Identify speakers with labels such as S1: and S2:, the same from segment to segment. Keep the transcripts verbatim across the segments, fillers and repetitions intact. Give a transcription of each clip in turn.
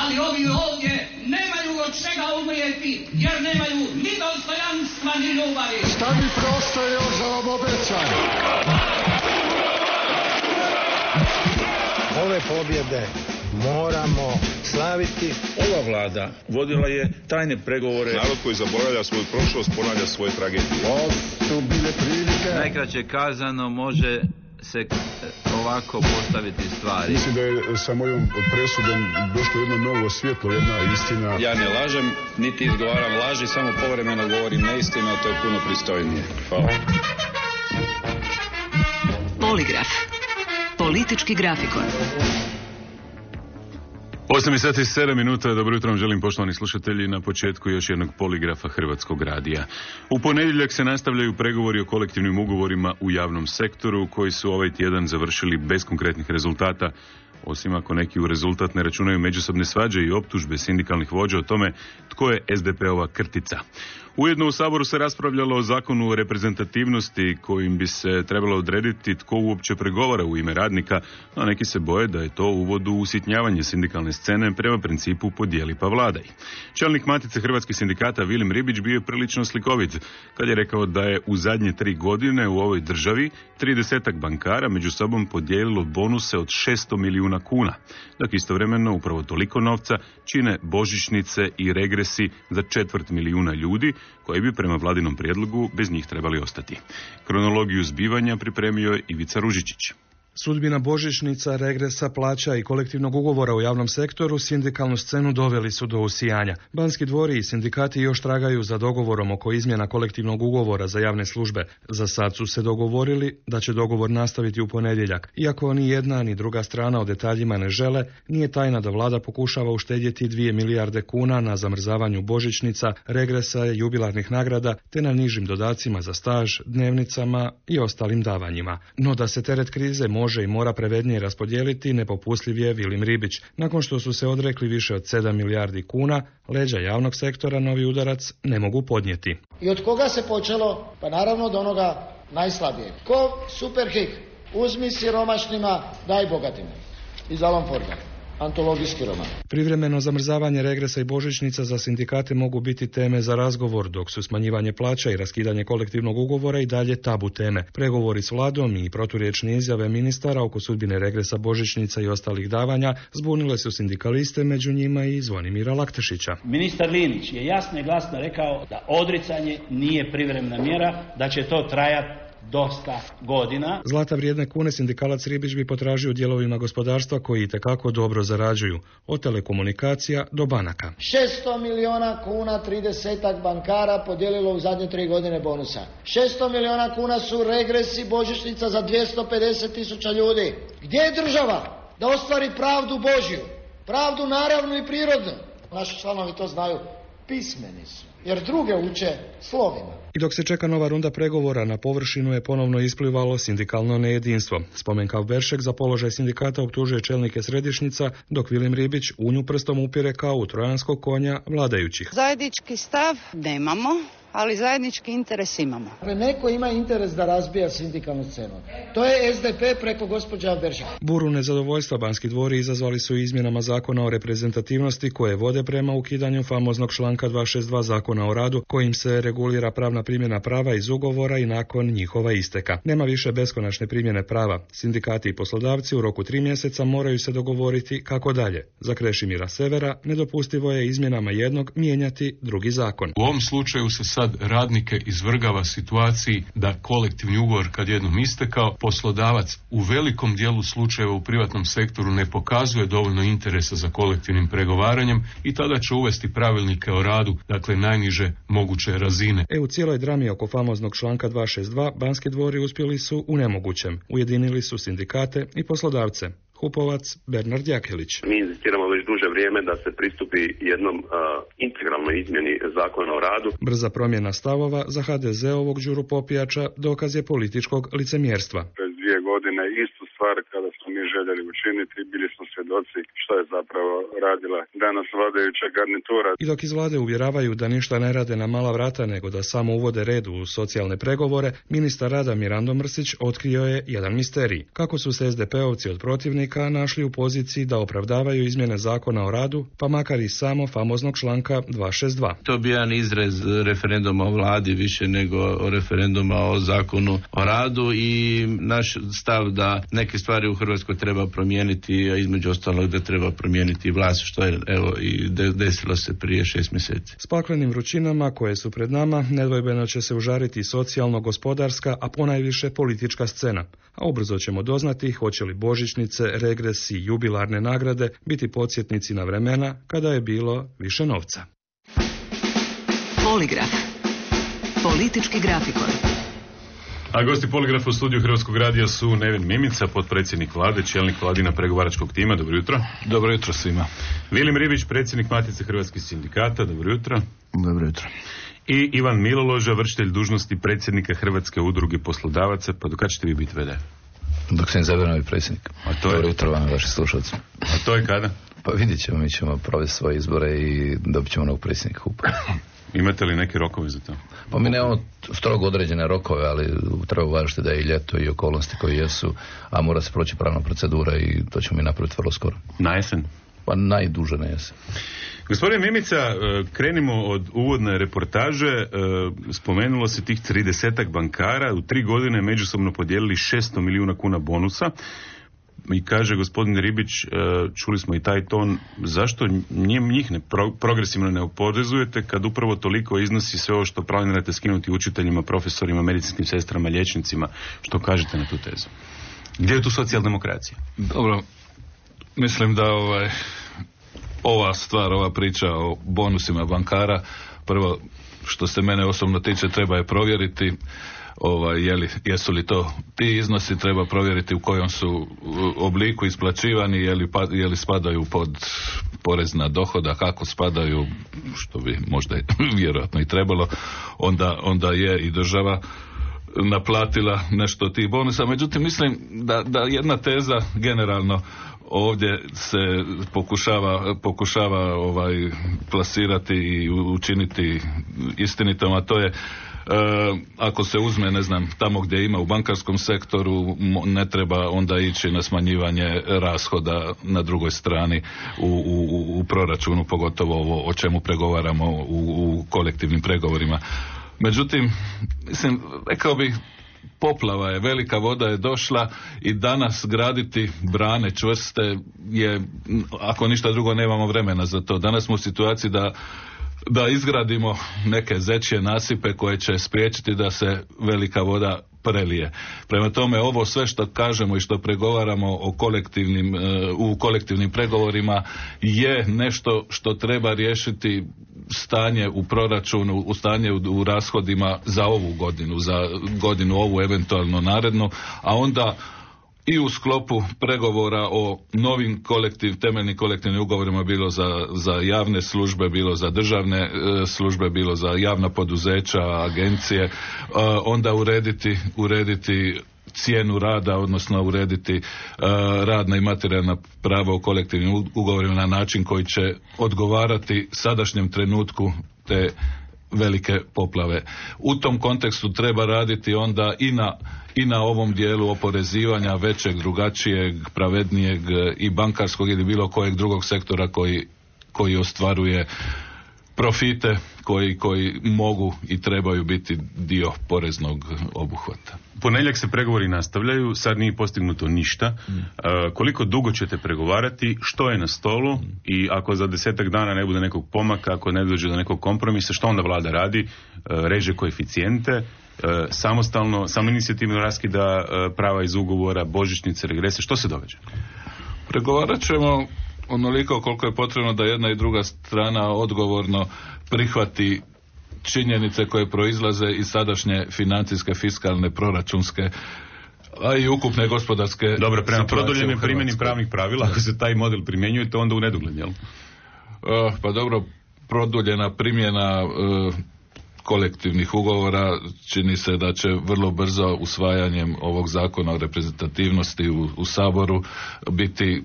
S1: ali ovi ovdje nemaju od čega umrijeti, jer nemaju ni dostojanstva, ni ljubavi.
S2: Šta mi preostaje još za vam obećam?
S3: Ove pobjede moramo slaviti.
S4: Ova vlada vodila je tajne pregovore.
S5: Narod koji zaboravlja svoju prošlost ponavlja svoje tragedije.
S2: Ovo su bile prilike.
S6: Najkraće kazano može se ovako postaviti stvari.
S7: Mislim da je sa mojom presudom došlo jedno novo svjetlo, jedna istina.
S8: Ja ne lažem, niti izgovaram laži, samo povremeno govorim neistinu, a to je puno pristojnije. Hvala.
S9: Poligraf. Politički grafikon.
S10: osam sati i sedam minuta, dobro jutro vam želim poštovani slušatelji na početku još jednog poligrafa Hrvatskog radija. U ponedjeljak se nastavljaju pregovori o kolektivnim ugovorima u javnom sektoru koji su ovaj tjedan završili bez konkretnih rezultata, osim ako neki u rezultat ne računaju međusobne svađe i optužbe sindikalnih vođa o tome tko je es de pe-ova krtica. Ujedno u Saboru se raspravljalo o zakonu o reprezentativnosti kojim bi se trebalo odrediti tko uopće pregovara u ime radnika, a neki se boje da je to uvod u usitnjavanje sindikalne scene prema principu podijeli pa vladaj. Čelnik Matice hrvatskih sindikata Vilim Ribić bio je prilično slikovit kad je rekao da je u zadnje tri godine u ovoj državi tridesetak bankara među sobom podijelilo bonuse od šesto milijuna kuna, dok istovremeno upravo toliko novca čine božićnice i regresi za četvrt milijuna ljudi koji bi prema vladinom prijedlogu bez njih trebali ostati. Kronologiju zbivanja pripremio je Ivica Ružičić.
S11: Sudbina božićnica, regresa, plaća i kolektivnog ugovora u javnom sektoru sindikalnu scenu doveli su do usijanja. Banski dvori i sindikati još tragaju za dogovorom oko izmjena kolektivnog ugovora za javne službe. Za sad su se dogovorili da će dogovor nastaviti u ponedjeljak. Iako ni jedna ni druga strana o detaljima ne žele, nije tajna da vlada pokušava uštedjeti dvije milijarde kuna na zamrzavanju božićnica, regresa, jubilarnih nagrada te na nižim dodacima za staž, dnevnicama i ostalim davanjima. No da se teret krize može može i mora pravednije raspodijeliti, nepopustljiv je Vilim Ribić. Nakon što su se odrekli više od sedam milijardi kuna, leđa javnog sektora novi udarac ne mogu podnijeti.
S12: I od koga se počelo? Pa naravno od onoga najslabijeg. Ko Superhik, uzmi siromašnima, daj bogatima. Iz Alan Forda. Antologijski roman.
S11: Privremeno zamrzavanje regresa i božićnica za sindikate mogu biti teme za razgovor, dok su smanjivanje plaća i raskidanje kolektivnog ugovora i dalje tabu teme. Pregovori s vladom i proturječne izjave ministara oko sudbine regresa, božićnica i ostalih davanja zbunile su sindikaliste, među njima i Zvonimira Laktešića.
S13: Ministar Linić je jasno i glasno rekao da odricanje nije privremena mjera, da će to trajati dosta godina.
S11: Zlata vrijedne kune sindikalac Ribić bi potražio u dijelovima gospodarstva koji itekako dobro zarađuju, od telekomunikacija do banaka.
S12: šesto milijuna kuna tridesetak bankara podijelilo u zadnje tri godine bonusa. šesto milijuna kuna su regresi božićnica za dvjesto pedeset tisuća ljudi. Gdje je država da ostvari pravdu Božju? Pravdu naravnu i prirodnu. Naši članovi to znaju. Pismeni su, jer druge uče slovima.
S11: I dok se čeka nova runda pregovora, na površinu je ponovno isplivalo sindikalno nejedinstvo. Spomenkav Beršek za položaj sindikata optužuje čelnike središnjica, dok Vilim Ribić unju prstom upire kao u trojanskog konja vladajućih.
S14: Zajednički stav nemamo, ali zajednički interes imamo.
S12: Neko ima interes da razbija sindikalnu scenu. To je es de pe preko gospođa Beršek.
S11: Buru nezadovoljstva Banski dvori izazvali su izmjenama zakona o reprezentativnosti koje vode prema ukidanju famoznog članka dvjesto šezdeset dva zakona o radu, kojim se regulira pravna primjena prava iz ugovora i nakon njihova isteka. Nema više beskonačne primjene prava. Sindikati i poslodavci u roku tri mjeseca moraju se dogovoriti kako dalje. Za Krešimira Severa nedopustivo je izmjenama jednog mijenjati drugi zakon.
S15: U ovom slučaju se sad radnike izvrgava situaciji da kolektivni ugovor kad jednom istekao, poslodavac u velikom dijelu slučajeva u privatnom sektoru ne pokazuje dovoljno interesa za kolektivnim pregovaranjem i tada će uvesti pravilnike o radu, dakle najniže moguće razine.
S11: E u cijeloj drami oko famoznog članka dvjesto šezdeset dva Banski dvori uspjeli su u nemogućem. Ujedinili su sindikate i poslodavce. Hupovac Bernard Jakelić.
S16: Mi inzistiramo već duže vrijeme da se pristupi jednom uh, integralnoj izmjeni zakona o radu.
S11: Brza promjena stavova za ha de ze-ovog Đuru Popijača dokaz je političkog licemjerstva.
S17: Pred dvije godine istu stvar kada smo mi željeli učiniti, bili smo svjedoci što je zapravo radila danas vladajuća garnitura.
S11: I dok iz vlade uvjeravaju da ništa ne rade na mala vrata, nego da samo uvode red u socijalne pregovore, ministar rada Mirando Mrsić otkrio je jedan misterij. Kako su se es de peovci od protivnika našli u poziciji da opravdavaju izmjene zakona o radu, pa makar i samo famoznog članka dvjesto šezdeset dva.
S6: To bi jedan izrez referenduma o vladi više nego referenduma o zakonu o radu i naš stav da neke stvari u Hrvatskoj treba promijeniti, a između ostalog da treba promijeniti vlast, što je evo i desilo se prije šest mjeseci.
S11: S paklenim vrućinama koje su pred nama nedvojbeno će se užariti socijalno-gospodarska, a ponajviše politička scena. A ubrzo ćemo doznati hoće li božićnice, regresi, jubilarne nagrade biti podsjetnici na vremena kada je bilo više novca.
S9: Poligraf. Politički grafikon.
S10: A gosti Poligrafa u studiju Hrvatskog radija su Nevin Mimica, potpredsjednik vlade, čelnik vladina pregovaračkog tima. Dobro jutro.
S18: Dobro jutro svima.
S10: Vilim Ribić, predsjednik Matice hrvatskih sindikata. Dobro jutro.
S18: Dobro jutro.
S10: I Ivan Miloloža, vršitelj dužnosti predsjednika Hrvatske udruge poslodavaca. Pa do kad ćete vi biti ve de?
S18: Dok se izabere novi predsjednik.
S10: A to je...
S18: Dobro jutro vam, vaši slušalci.
S10: A to je kada?
S18: Pa vidjet ćemo, mi ćemo provesti svoje izbore i dobit ćemo novog predsjednika H U P-a.
S10: Imate li neke rokove za to?
S18: Pa mi nemamo strogo određene rokove, ali treba uvažiti da je i ljeto i okolnosti koje jesu, a mora se proći pravna procedura i to ćemo mi napraviti vrlo skoro.
S10: Na jesen?
S18: Pa najduže na jesen.
S10: Gospodin Mimica, krenimo od uvodne reportaže. Spomenulo se tih tridesetak bankara, u tri godine međusobno podijelili šesto milijuna kuna bonusa. I kaže gospodin Ribić, čuli smo i taj ton, zašto njih ne progresivno ne oporezujete kad upravo toliko iznosi sve ovo što planirate skinuti učiteljima, profesorima, medicinskim sestrama, liječnicima? Što kažete na tu tezu? Gdje je tu socijaldemokracija?
S18: Dobro, mislim da ovaj, ova stvar, ova priča o bonusima bankara, prvo što se mene osobno tiče treba je provjeriti. Ovaj, je li, jesu li to ti iznosi, treba provjeriti u kojom su obliku isplaćivani, je li, pa, je li spadaju pod porez na dohodak, kako spadaju, što bi možda vjerojatno i trebalo, onda, onda je i država naplatila nešto od tih bonusa. Međutim, mislim da, da jedna teza generalno ovdje se pokušava, pokušava ovaj, plasirati i učiniti istinitom, a to je E, ako se uzme, ne znam, tamo gdje ima u bankarskom sektoru, ne treba onda ići na smanjivanje rashoda na drugoj strani u, u, u proračunu, pogotovo ovo o čemu pregovaramo u, u kolektivnim pregovorima. Međutim, mislim, rekao bih, poplava je, velika voda je došla i danas graditi brane čvrste je, ako ništa drugo, nemamo vremena za to. Danas smo u situaciji da da izgradimo neke zečje nasipe koje će spriječiti da se velika voda prelije. Prema tome, ovo sve što kažemo i što pregovaramo o kolektivnim, u kolektivnim pregovorima je nešto što treba riješiti stanje u proračunu, u stanje u, u rashodima za ovu godinu, za godinu ovu eventualno narednu, a onda i u sklopu pregovora o novim kolektiv, temeljnim kolektivnim ugovorima, bilo za, za javne službe, bilo za državne e, službe, bilo za javna poduzeća, agencije, e, onda urediti, urediti cijenu rada, odnosno urediti e, radna i materijalna prava u kolektivnim ugovorima na način koji će odgovarati sadašnjem trenutku te velike poplave. U tom kontekstu treba raditi onda i na i na ovom dijelu oporezivanja većeg, drugačijeg, pravednijeg i bankarskog ili bilo kojeg drugog sektora koji, koji ostvaruje profite koji, koji mogu i trebaju biti dio poreznog obuhvata.
S10: Ponedjeljak se pregovori nastavljaju, sad nije postignuto ništa. Mm. Uh, koliko dugo ćete pregovarati, što je na stolu mm. i ako za desetak dana ne bude nekog pomaka, ako ne dođe do nekog kompromisa, što onda vlada radi? Uh, reže koeficijente, uh, samostalno, samoinicijativno raskida uh, prava iz ugovora, božićnice, regrese, što se događa?
S18: Pregovarat ćemo onoliko koliko je potrebno da jedna i druga strana odgovorno prihvati činjenice koje proizlaze iz sadašnje financijske, fiskalne, proračunske, a i ukupne gospodarske.
S10: Dobro, prema produljenoj primjeni pravnih pravila, ako se taj model primjenjuje, to onda u nedogled, jel?
S18: Uh, pa dobro, produljena primjena uh, kolektivnih ugovora čini se da će vrlo brzo usvajanjem ovog zakona o reprezentativnosti u, u Saboru biti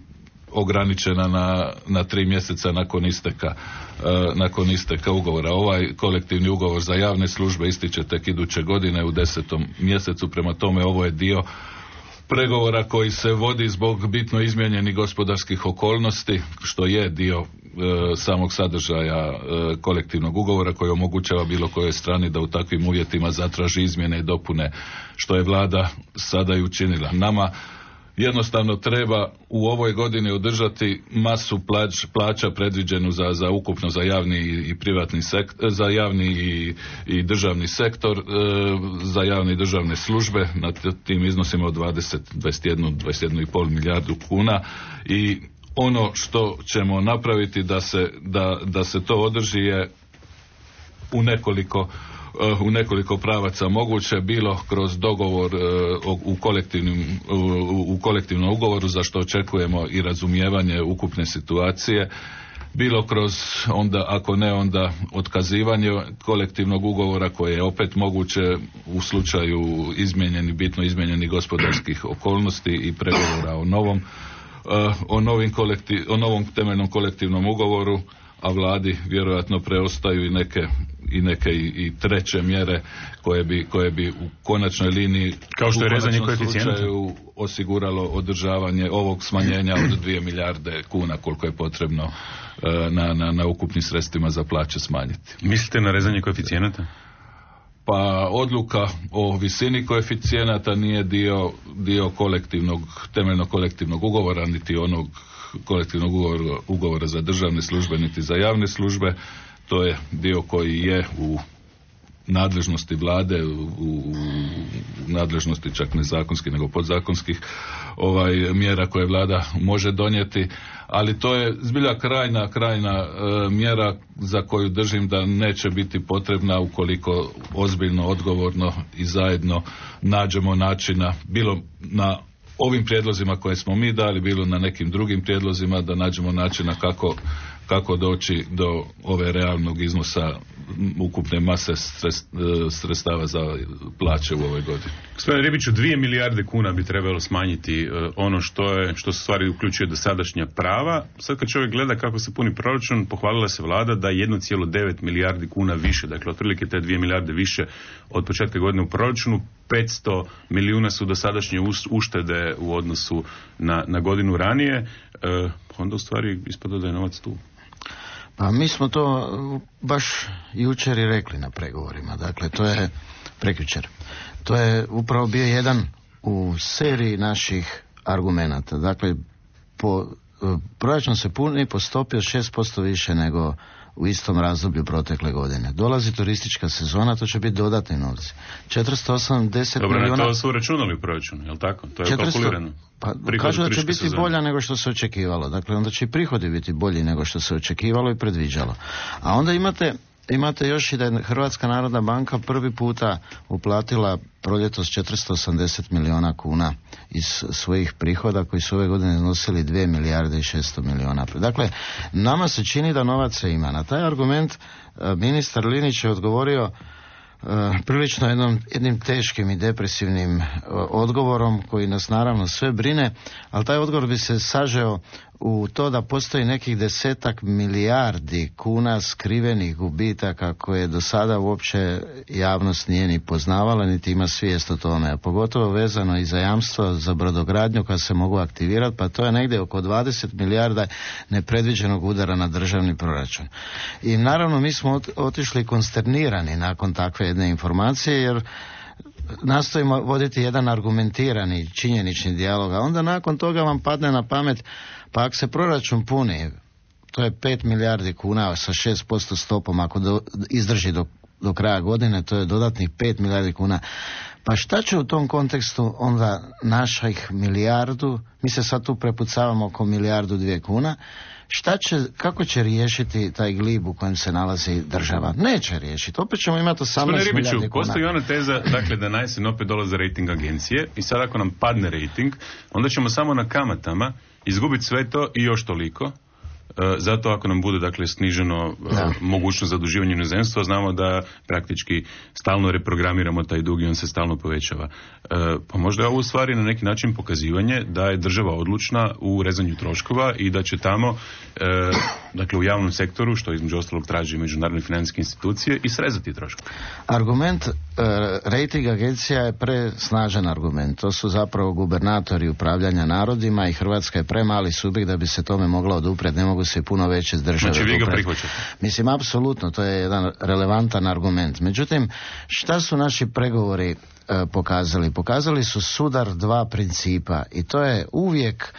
S18: ograničena na, na tri mjeseca nakon isteka, uh, nakon isteka ugovora. Ovaj kolektivni ugovor za javne službe ističe tek iduće godine u desetom mjesecu, prema tome ovo je dio pregovora koji se vodi zbog bitno izmijenjenih gospodarskih okolnosti, što je dio e, samog sadržaja e, kolektivnog ugovora koji omogućava bilo kojoj strani da u takvim uvjetima zatraži izmjene i dopune, što je vlada sada i učinila. Nama jednostavno treba u ovoj godini održati masu plać, plaća predviđenu za, za ukupno za javni i privatni sektor, za javni i, i državni sektor, e, za javne i državne službe na tim iznosima od dvadeset, dvadeset jedan, dvadeset jedan i pol milijardu kuna i ono što ćemo napraviti da se, da, da se to održi je u nekoliko u nekoliko pravaca moguće, bilo kroz dogovor u kolektivnim, u kolektivnom ugovoru, za što očekujemo i razumijevanje ukupne situacije, bilo kroz onda, ako ne onda otkazivanje kolektivnog ugovora koje je opet moguće u slučaju izmijenjeni, bitno izmijenjenih gospodarskih okolnosti i pregovora o novom, o, novim kolektiv, o novom temeljnom kolektivnom ugovoru, a vladi vjerojatno preostaju i neke i neke i, i treće mjere koje bi, koje bi u konačnoj liniji,
S10: kao što je rezanje
S18: koeficijenata, osiguralo održavanje ovog smanjenja od dvije milijarde kuna koliko je potrebno na, na, na ukupnim sredstvima za plaće smanjiti.
S10: Mislite na rezanje koeficijenata?
S18: Pa odluka o visini koeficijenata nije dio, dio kolektivnog, temeljnog kolektivnog ugovora, niti onog kolektivnog ugovora, ugovora za državne službe, niti za javne službe. To je dio koji je u nadležnosti vlade, u, u nadležnosti čak ne zakonskih nego podzakonskih ovaj, mjera koje vlada može donijeti, ali to je zbilja krajna, krajna e, mjera za koju držim da neće biti potrebna ukoliko ozbiljno, odgovorno i zajedno nađemo načina, bilo na ovim prijedlozima koje smo mi dali, bilo na nekim drugim prijedlozima, da nađemo načina kako kako doći do ove realnog iznosa ukupne mase sredstava za plaće u ovoj godini.
S10: Gospodine Ribiću, dvije milijarde kuna bi trebalo smanjiti ono što je, što se stvari uključuje dosadašnja prava. Sad kad čovjek gleda kako se puni proračun, pohvalila se vlada da jedno zarez devet milijardi kuna više, dakle otprilike te dvije milijarde više od početka godine u proračunu, petsto milijuna su dosadašnje uštede u odnosu na, na godinu ranije, e, onda u stvari ispada da je novac tu.
S19: Pa mi smo to baš jučer i rekli na pregovorima, dakle to je prekjučer. To je upravo bio jedan u seriji naših argumenata. Dakle, po, proračun se puni po stopi od šest posto više nego u istom razdoblju protekle godine. Dolazi turistička sezona, to će biti dodatni novci. četiristo osamdeset
S10: Dobro,
S19: milijuna...
S10: to su uračunali u proračunu, je li tako? To je
S19: četiristo...
S10: kalkulirano.
S19: Pa, kažu da će biti sezona bolja nego što se očekivalo. Dakle, onda će i prihodi biti bolji nego što se očekivalo i predviđalo. A onda imate, imate još i da je Hrvatska narodna banka prvi puta uplatila proljetos četiristo osamdeset milijuna kuna iz svojih prihoda koji su ove godine iznosili dvije milijarde i šesto milijuna. Dakle, nama se čini da novaca ima. Na taj argument ministar Linić je odgovorio Uh, prilično jednom, jednim teškim i depresivnim uh, odgovorom koji nas naravno sve brine, ali taj odgovor bi se sažeo u to da postoji nekih desetak milijardi kuna skrivenih gubitaka koje do sada uopće javnost nije ni poznavala niti ima svijest o tome, a pogotovo vezano i za jamstvo za brodogradnju koja se mogu aktivirati, pa to je negdje oko dvadeset milijarda nepredviđenog udara na državni proračun. I naravno mi smo otišli konsternirani nakon takve jedne informacije, jer nastojimo voditi jedan argumentirani činjenični dijalog, a onda nakon toga vam padne na pamet, pa ako se proračun puni, to je pet milijardi kuna sa šest posto stopom, ako do, izdrži do, do kraja godine, to je dodatnih pet milijardi kuna. Pa šta će u tom kontekstu onda naših milijardu, mi se sad tu prepucavamo oko milijardu dvije kuna, šta će, kako će riješiti taj glib u kojem se nalazi država? Neće riješiti. Opet ćemo imati osamnaest milijardi kuna.
S10: Postoji ona teza, dakle, da na jesen opet dolaze rating agencije i sad ako nam padne rating, onda ćemo samo na kamatama izgubiti sve to i još toliko. zato ako nam bude dakle sniženo da. mogućnost zaduživanja inozemstva, znamo da praktički stalno reprogramiramo taj dug i on se stalno povećava. Pa možda je ovo u stvari na neki način pokazivanje da je država odlučna u rezanju troškova i da će tamo dakle u javnom sektoru, što između ostalog traži međunarodne financijske institucije, i srezati troškove.
S19: Argument rating agencija je presnažan argument. To su zapravo gubernatori upravljanja narodima i Hrvatska je premali subjekt da bi se tome mogla oduprijeti. Ne mogu se puno veće s države.
S10: Znači vi ga prihvaćate?
S19: Mislim, apsolutno, to je jedan relevantan argument. Međutim, šta su naši pregovori e, pokazali? Pokazali su sudar dva principa i to je uvijek,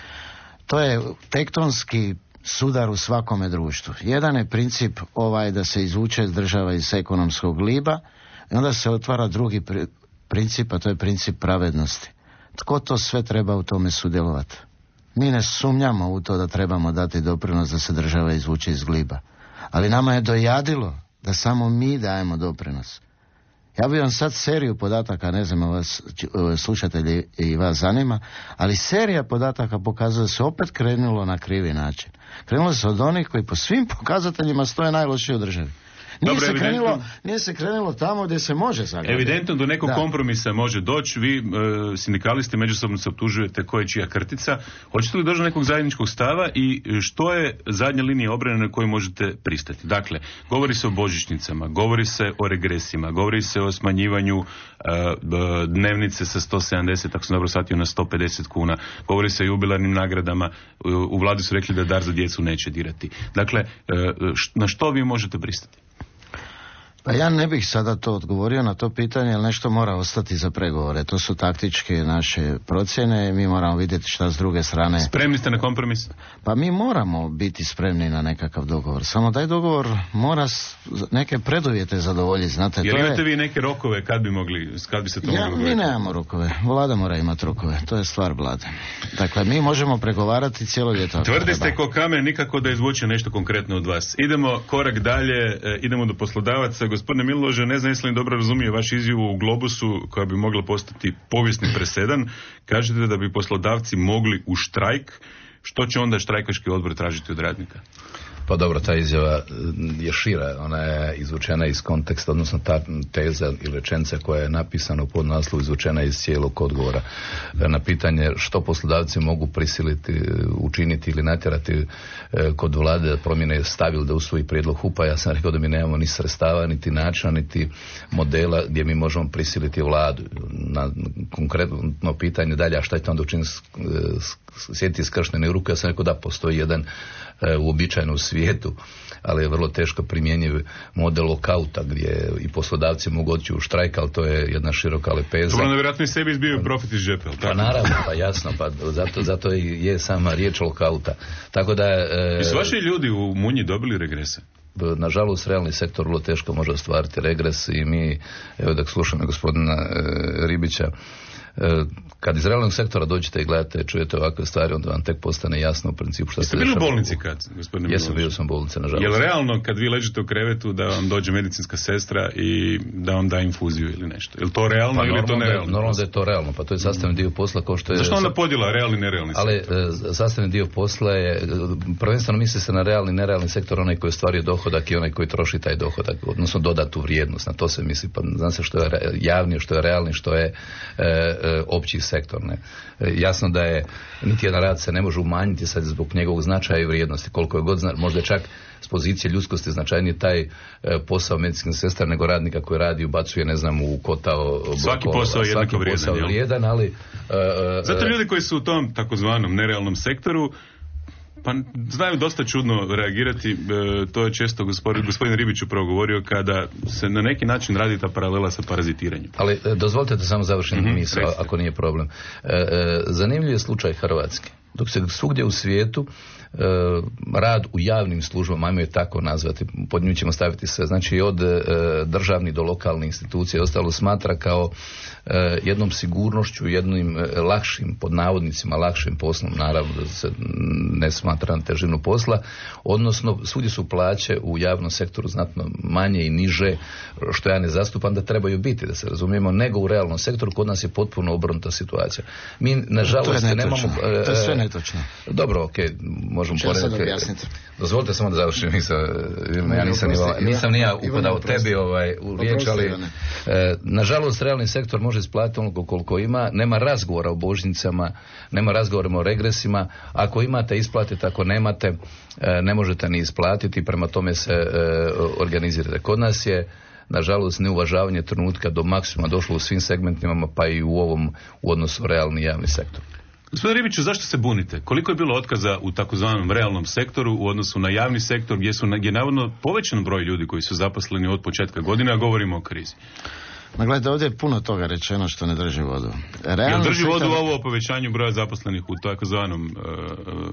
S19: to je tektonski sudar u svakome društvu. Jedan je princip ovaj da se izvuče država iz ekonomskog gliba i onda se otvara drugi pri, princip, a to je princip pravednosti. Tko to sve treba u tome sudjelovati? Mi ne sumnjamo u to da trebamo dati doprinos da se država izvuče iz gliba. Ali nama je dojadilo da samo mi dajemo doprinos. Ja bih vam sad seriju podataka, ne znam vas slušatelji i vas zanima, ali serija podataka pokazuje da se opet krenulo na krivi način. Krenulo se od onih koji po svim pokazateljima stoje najlošije u državi. Nije, Dobre, se krenulo, nije se krenulo tamo gdje se može zagledati.
S10: Evidentno do nekog da. kompromisa može doći. Vi, e, sindikalisti, međusobno se optužujete ko je čija krtica. Hoćete li doći do nekog zajedničkog stava i što je zadnja linija obrane na koju možete pristati? Dakle, govori se o božićnicama, govori se o regresima, govori se o smanjivanju e, dnevnice sa sto sedamdeset, ako sam dobro shvatio, na sto pedeset kuna. Govori se o jubilarnim nagradama. U vladi su rekli da dar za djecu neće dirati. Dakle, e, na što vi možete pristati?
S19: Pa ja ne bih sada to odgovorio na to pitanje, jer nešto mora ostati za pregovore. To su taktičke naše procjene, mi moramo vidjeti šta s druge strane.
S10: Spremni ste na kompromis?
S19: Pa mi moramo biti spremni na nekakav dogovor. Samo taj dogovor mora neke preduvjete zadovoljiti, znate.
S10: Jel imate je... vi neke rokove kad bi mogli, kad bi se to
S19: ja,
S10: mogli?
S19: Mi nemamo rokove. Vlada mora imati rokove. To je stvar Vlade. Dakle, mi možemo pregovarati cijelo ljeto.
S10: Tvrdi ste ko kamen, nikako da izvuče nešto konkretno od vas. Idemo korak dalje, idemo do poslodavaca. Gospodine Milože, ne znam jesli li dobro razumije vaš izjavu u Globusu koja bi mogla postati povijesni presedan. Kažete da bi poslodavci mogli u štrajk. Što će onda štrajkaški odbor tražiti od radnika?
S18: Pa dobro, ta izjava je šira, ona je izvučena iz konteksta, odnosno ta teza ili rečenica koja je napisana u podnaslovu izvučena iz cijelog odgovora na pitanje što poslodavci mogu prisiliti, učiniti ili natjerati kod vlade da promjene stav ili da usvoji prijedlog H U P-a. Ja sam rekao da mi nemamo ni sredstava, niti načina, niti modela gdje mi možemo prisiliti vladu. Na konkretno pitanje dalje, a šta je to onda učiniti, sjetiti skrštene ruke, ja sam rekao da postoji jedan uobičajeno u svijetu, ali je vrlo teško primjenjiv model lokauta gdje i poslodavci mogu otići u štrajk, ali to je jedna široka lepeza.
S10: To ono vjerojatno i sebi izbio profit iz džepa.
S18: Pa naravno, pa jasno, pa zato, zato i je sama riječ lokauta. Tako da... E,
S10: I su vaši ljudi u Munji dobili regrese?
S18: Nažalost, realni sektor vrlo teško može ostvariti regres i mi, evo da slušamo gospodina e, Ribića, kad iz realnog sektora dođete i gledate, čujete ovakve stvari, onda vam tek postane jasno u principu što
S10: ste bili u bolnici kad, gospodine?
S18: Jesam, bio sam u bolnici, nažalost.
S10: Je li realno kad vi ležite u krevetu da vam dođe medicinska sestra i da vam da infuziju ili nešto? Je li to realno pa ili je to nerealno?
S18: Da, normalno da je to realno, pa to je sastavni dio posla kao što je...
S10: Zašto onda podjela realni i nerealni
S18: ali,
S10: sektor?
S18: Ali sastavni dio posla je, prvenstveno misli se na realni i nerealni sektor, onaj koji ostvaruje dohodak i onaj koji troši taj dohodak, odnosno dodatu vrijednost, na to se misli, pa zna se što je javni, što je realni, što je e, e, opći sektor. Ne. Jasno da je niti jedan rad se ne može umanjiti sad zbog njegovog značaja i vrijednosti. Koliko je god zna, možda čak s pozicije ljudskosti značajnije taj e, posao medicinske sestre nego radnika koji radi ubacuje, ne znam, u kotao.
S10: Svaki blokova, posao je jednako vrijedan.
S18: vrijedan ali, e,
S10: Zato ljudi koji su u tom takozvanom nerealnom sektoru pa znaju dosta čudno reagirati, e, to je često gospodin, gospodin Ribić upravo govorio kada se na neki način radi ta paralela sa parazitiranjem.
S18: Ali e, dozvolite da samo završim mm-hmm, misao, ako nije problem. E, e, zanimljiv je slučaj Hrvatske. Dok se svugdje u svijetu e, rad u javnim službama, ajmo je tako nazvati, pod nju ćemo staviti sve, znači od e, državnih do lokalnih institucija i ostalo smatra kao e, jednom sigurnošću, jednim e, lakšim, pod navodnicima lakšim poslom, naravno da se ne smatra na težinu posla, odnosno svugdje su plaće u javnom sektoru znatno manje i niže, što ja ne zastupam da trebaju biti, da se razumijemo, nego u realnom sektoru. Kod nas je potpuno obrnuta situacija. Mi, nažalost, nemamo... E,
S19: netočno.
S20: Dobro, okej, okay, možemo porediti. Dozvolite samo da završim, nisam, ja nisam, nisam, nisam nija upadao tebi ovaj, u riječ, ali e, nažalost realni sektor može isplatiti onoliko koliko ima, nema razgovora o božićnicama, nema razgovora o regresima, ako imate isplatite, ako nemate e, ne možete ni isplatiti, prema tome se e, organizirate. Kod nas je nažalost neuvažavanje trenutka do maksimuma došlo u svim segmentima, pa i u ovom u odnosu realni javni sektor.
S10: Gospodine Ribiću, zašto se bunite? Koliko je bilo otkaza u takozvanom realnom sektoru u odnosu na javni sektor gdje su gdje navodno povećan broj ljudi koji su zaposleni od početka godine, a govorimo o krizi?
S19: Ma gledajte, ovdje je puno toga rečeno što ne drži vodu.
S10: Jel drži vodu ovo o povećanju broja zaposlenih u takozvanom uh,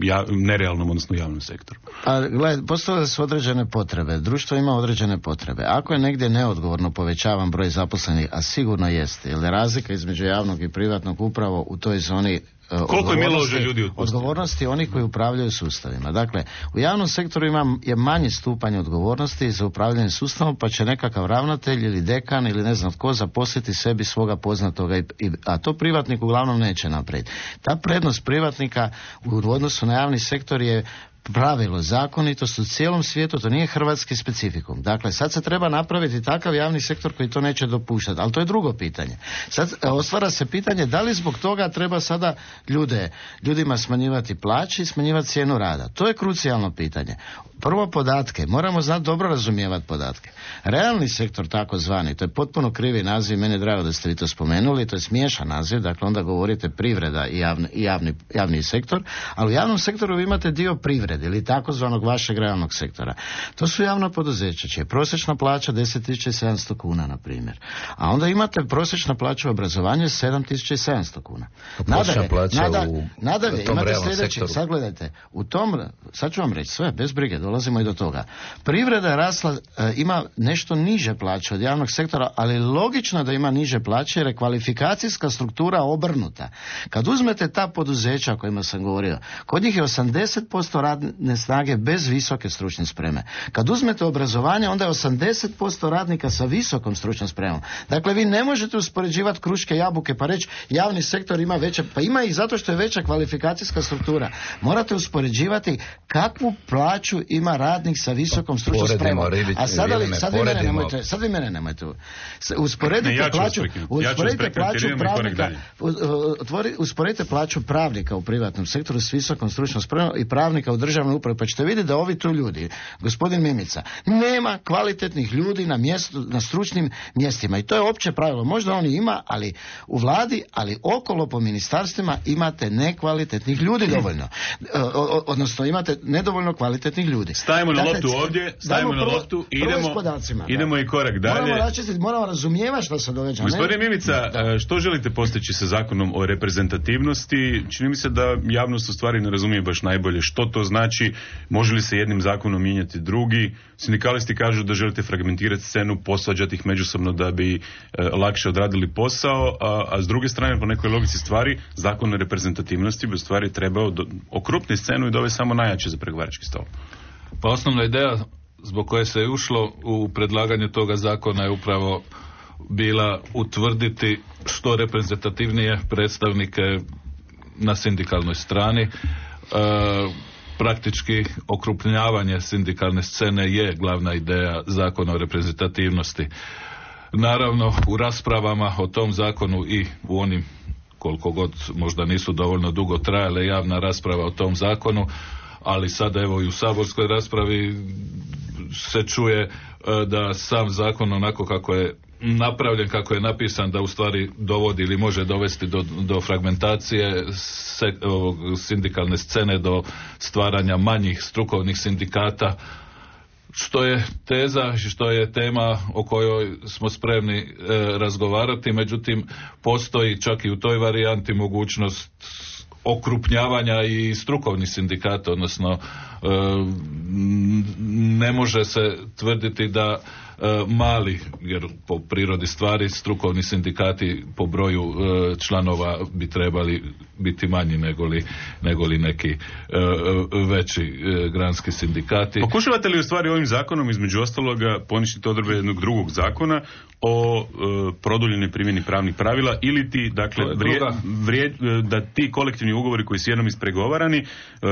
S10: ja, nerealnom, odnosno javnom sektoru?
S19: A gledajte, postoje su određene potrebe. Društvo ima određene potrebe. Ako je negdje neodgovorno povećavan broj zaposlenih, a sigurno jeste, jer je razlika između javnog i privatnog upravo u toj zoni
S10: koliko je milože ljudi otpustili?
S19: Odgovornosti onih koji upravljaju sustavima. Dakle, u javnom sektoru ima je manji stupanj odgovornosti za upravljanje sustavom, pa će nekakav ravnatelj ili dekan ili ne znam tko zaposliti sebi svoga poznatoga, i, i, a to privatnik uglavnom neće napraviti. Ta prednost privatnika u odnosu na javni sektor je pravilo, zakonitost u cijelom svijetu, to nije hrvatski specifikum. Dakle, sad se treba napraviti takav javni sektor koji to neće dopuštati, ali to je drugo pitanje. Sad ostvara se pitanje da li zbog toga treba sada ljude, ljudima smanjivati plaće i smanjivati cijenu rada. To je krucijalno pitanje. Prvo podatke, moramo znati dobro razumijevati podatke. Realni sektor takozvani, to je potpuno krivi naziv, meni je drago da ste vi to spomenuli, to je smiješan naziv, dakle onda govorite privreda i javni, i javni, javni sektor, ali u javnom sektoru vi imate dio privrede ili takozvanog vašeg realnog sektora. To su javna poduzeća, čija je prosječna plaća deset tisuća sedamsto kuna, na primjer. A onda imate prosječna plaća u obrazovanju sedam tisuća sedamsto kuna. Nadalje, nada, nadalje imate sljedeće, sad gledajte, u tom, sad ću vam reći sve, bez brige, dolazimo i do toga. Privreda je rasla, e, ima nešto niže plaće od javnog sektora, ali logično da ima niže plaće jer je kvalifikacijska struktura obrnuta. Kad uzmete ta poduzeća o kojima sam govorio, kod njih je osamdeset posto radne snage bez visoke stručne spreme. Kad uzmete obrazovanje, onda je osamdeset posto radnika sa visokom stručnom spremom. Dakle, vi ne možete uspoređivati kruške i jabuke pa reći javni sektor ima veće, pa ima ih zato što je veća kvalifikacijska struktura. Morate uspoređivati kakvu plaću ima radnik sa visokom stručnom spremom. A sada li, sad vi mene nemojte, sad vi mene nemojte. Usporedite ne, ja plaću, usporedite ja plaću pravnika, utvori, usporedite plaću pravnika u privatnom sektoru s visokom stručnom spremom i pravnika u državnoj upravi, pa ćete vidjeti da ovi tu ljudi, gospodin Mimica, nema kvalitetnih ljudi na mjestu, na stručnim mjestima i to je opće pravilo. Možda oni ima, ali u vladi, ali okolo po ministarstvima imate nekvalitetnih ljudi dovoljno. O, odnosno imate nedovoljno kvalitetnih ljudi.
S10: Stavimo na loptu ovdje, stavimo na loptu i idemo, idemo i korak dalje.
S19: Moramo, račistiti, moramo razumijevati što se događa.
S10: Gospodine Mimica, što želite postići sa zakonom o reprezentativnosti? Čini mi se da javnost u stvari ne razumije baš najbolje što to znači, može li se jednim zakonom mijenjati drugi. Sindikalisti kažu da želite fragmentirati scenu, posvađati ih međusobno da bi e, lakše odradili posao, a, a s druge strane po nekoj logici stvari zakon o reprezentativnosti bi u stvari trebao do, okrupniti scenu i dovesti samo najjače za pregovarački stol.
S18: Pa osnovna ideja zbog koje se je ušlo u predlaganju toga zakona je upravo bila utvrditi što reprezentativnije predstavnike na sindikalnoj strani. E, praktički okrupnjavanje sindikalne scene je glavna ideja zakona o reprezentativnosti. Naravno, u raspravama o tom zakonu i u onim, koliko god možda nisu dovoljno dugo trajale, javna rasprava o tom zakonu, ali sada evo i u saborskoj raspravi se čuje da sam zakon onako kako je napravljen, kako je napisan, da u stvari dovodi ili može dovesti do, do fragmentacije se, ovog, sindikalne scene, do stvaranja manjih strukovnih sindikata, što je teza, što je tema o kojoj smo spremni e, razgovarati, međutim postoji čak i u toj varijanti mogućnost okrupnjavanja i strukovnih sindikata, odnosno e, ne može se tvrditi da mali, jer po prirodi stvari strukovni sindikati po broju e, članova bi trebali biti manji negoli, negoli neki e, veći e, granski sindikati.
S10: Pokušavate li u stvari ovim zakonom između ostaloga poništiti odredbe jednog drugog zakona o e, produljenoj primjeni pravnih pravila ili ti, dakle, vrije, vrije, da ti kolektivni ugovori koji su jednom ispregovarani e,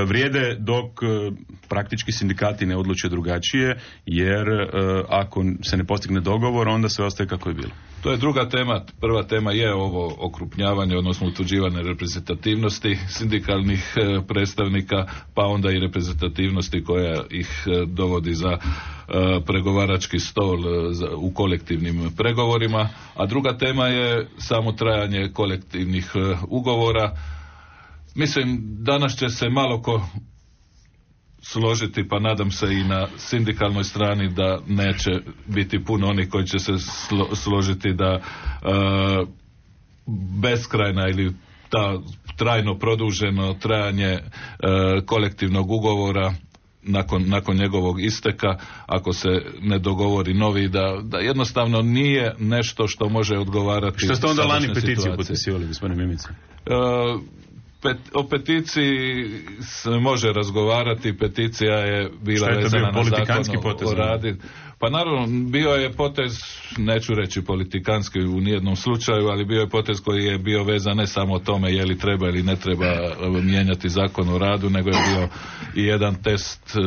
S10: vrijede dok e, praktički sindikati ne odluče drugačije, jer e, ako se ne postigne dogovor, onda sve ostaje kako je bilo.
S18: To je druga tema. Prva tema je ovo okrupnjavanje, odnosno utvrđivanje reprezentativnosti sindikalnih e, predstavnika, pa onda i reprezentativnosti koja ih e, dovodi za e, pregovarački stol e, za, u kolektivnim pregovorima, a druga tema je samo trajanje kolektivnih e, ugovora. Mislim, danas će se malo ko složiti, pa nadam se i na sindikalnoj strani da neće biti puno onih koji će se slo, složiti da e, beskrajna ili ta trajno produženo trajanje e, kolektivnog ugovora nakon, nakon njegovog isteka, ako se ne dogovori novi, da, da jednostavno nije nešto što može odgovarati.
S10: Što ste onda lani peticiju potpisivali, gospodine Mimica?
S18: E, Pet, o peticiji se može razgovarati, peticija je bila vezana na zakon o radu. Pa naravno, bio je potez, neću reći politikanski u nijednom slučaju, ali bio je potez koji je bio vezan ne samo o tome je li treba ili ne treba mijenjati zakon o radu, nego je bio i jedan test e,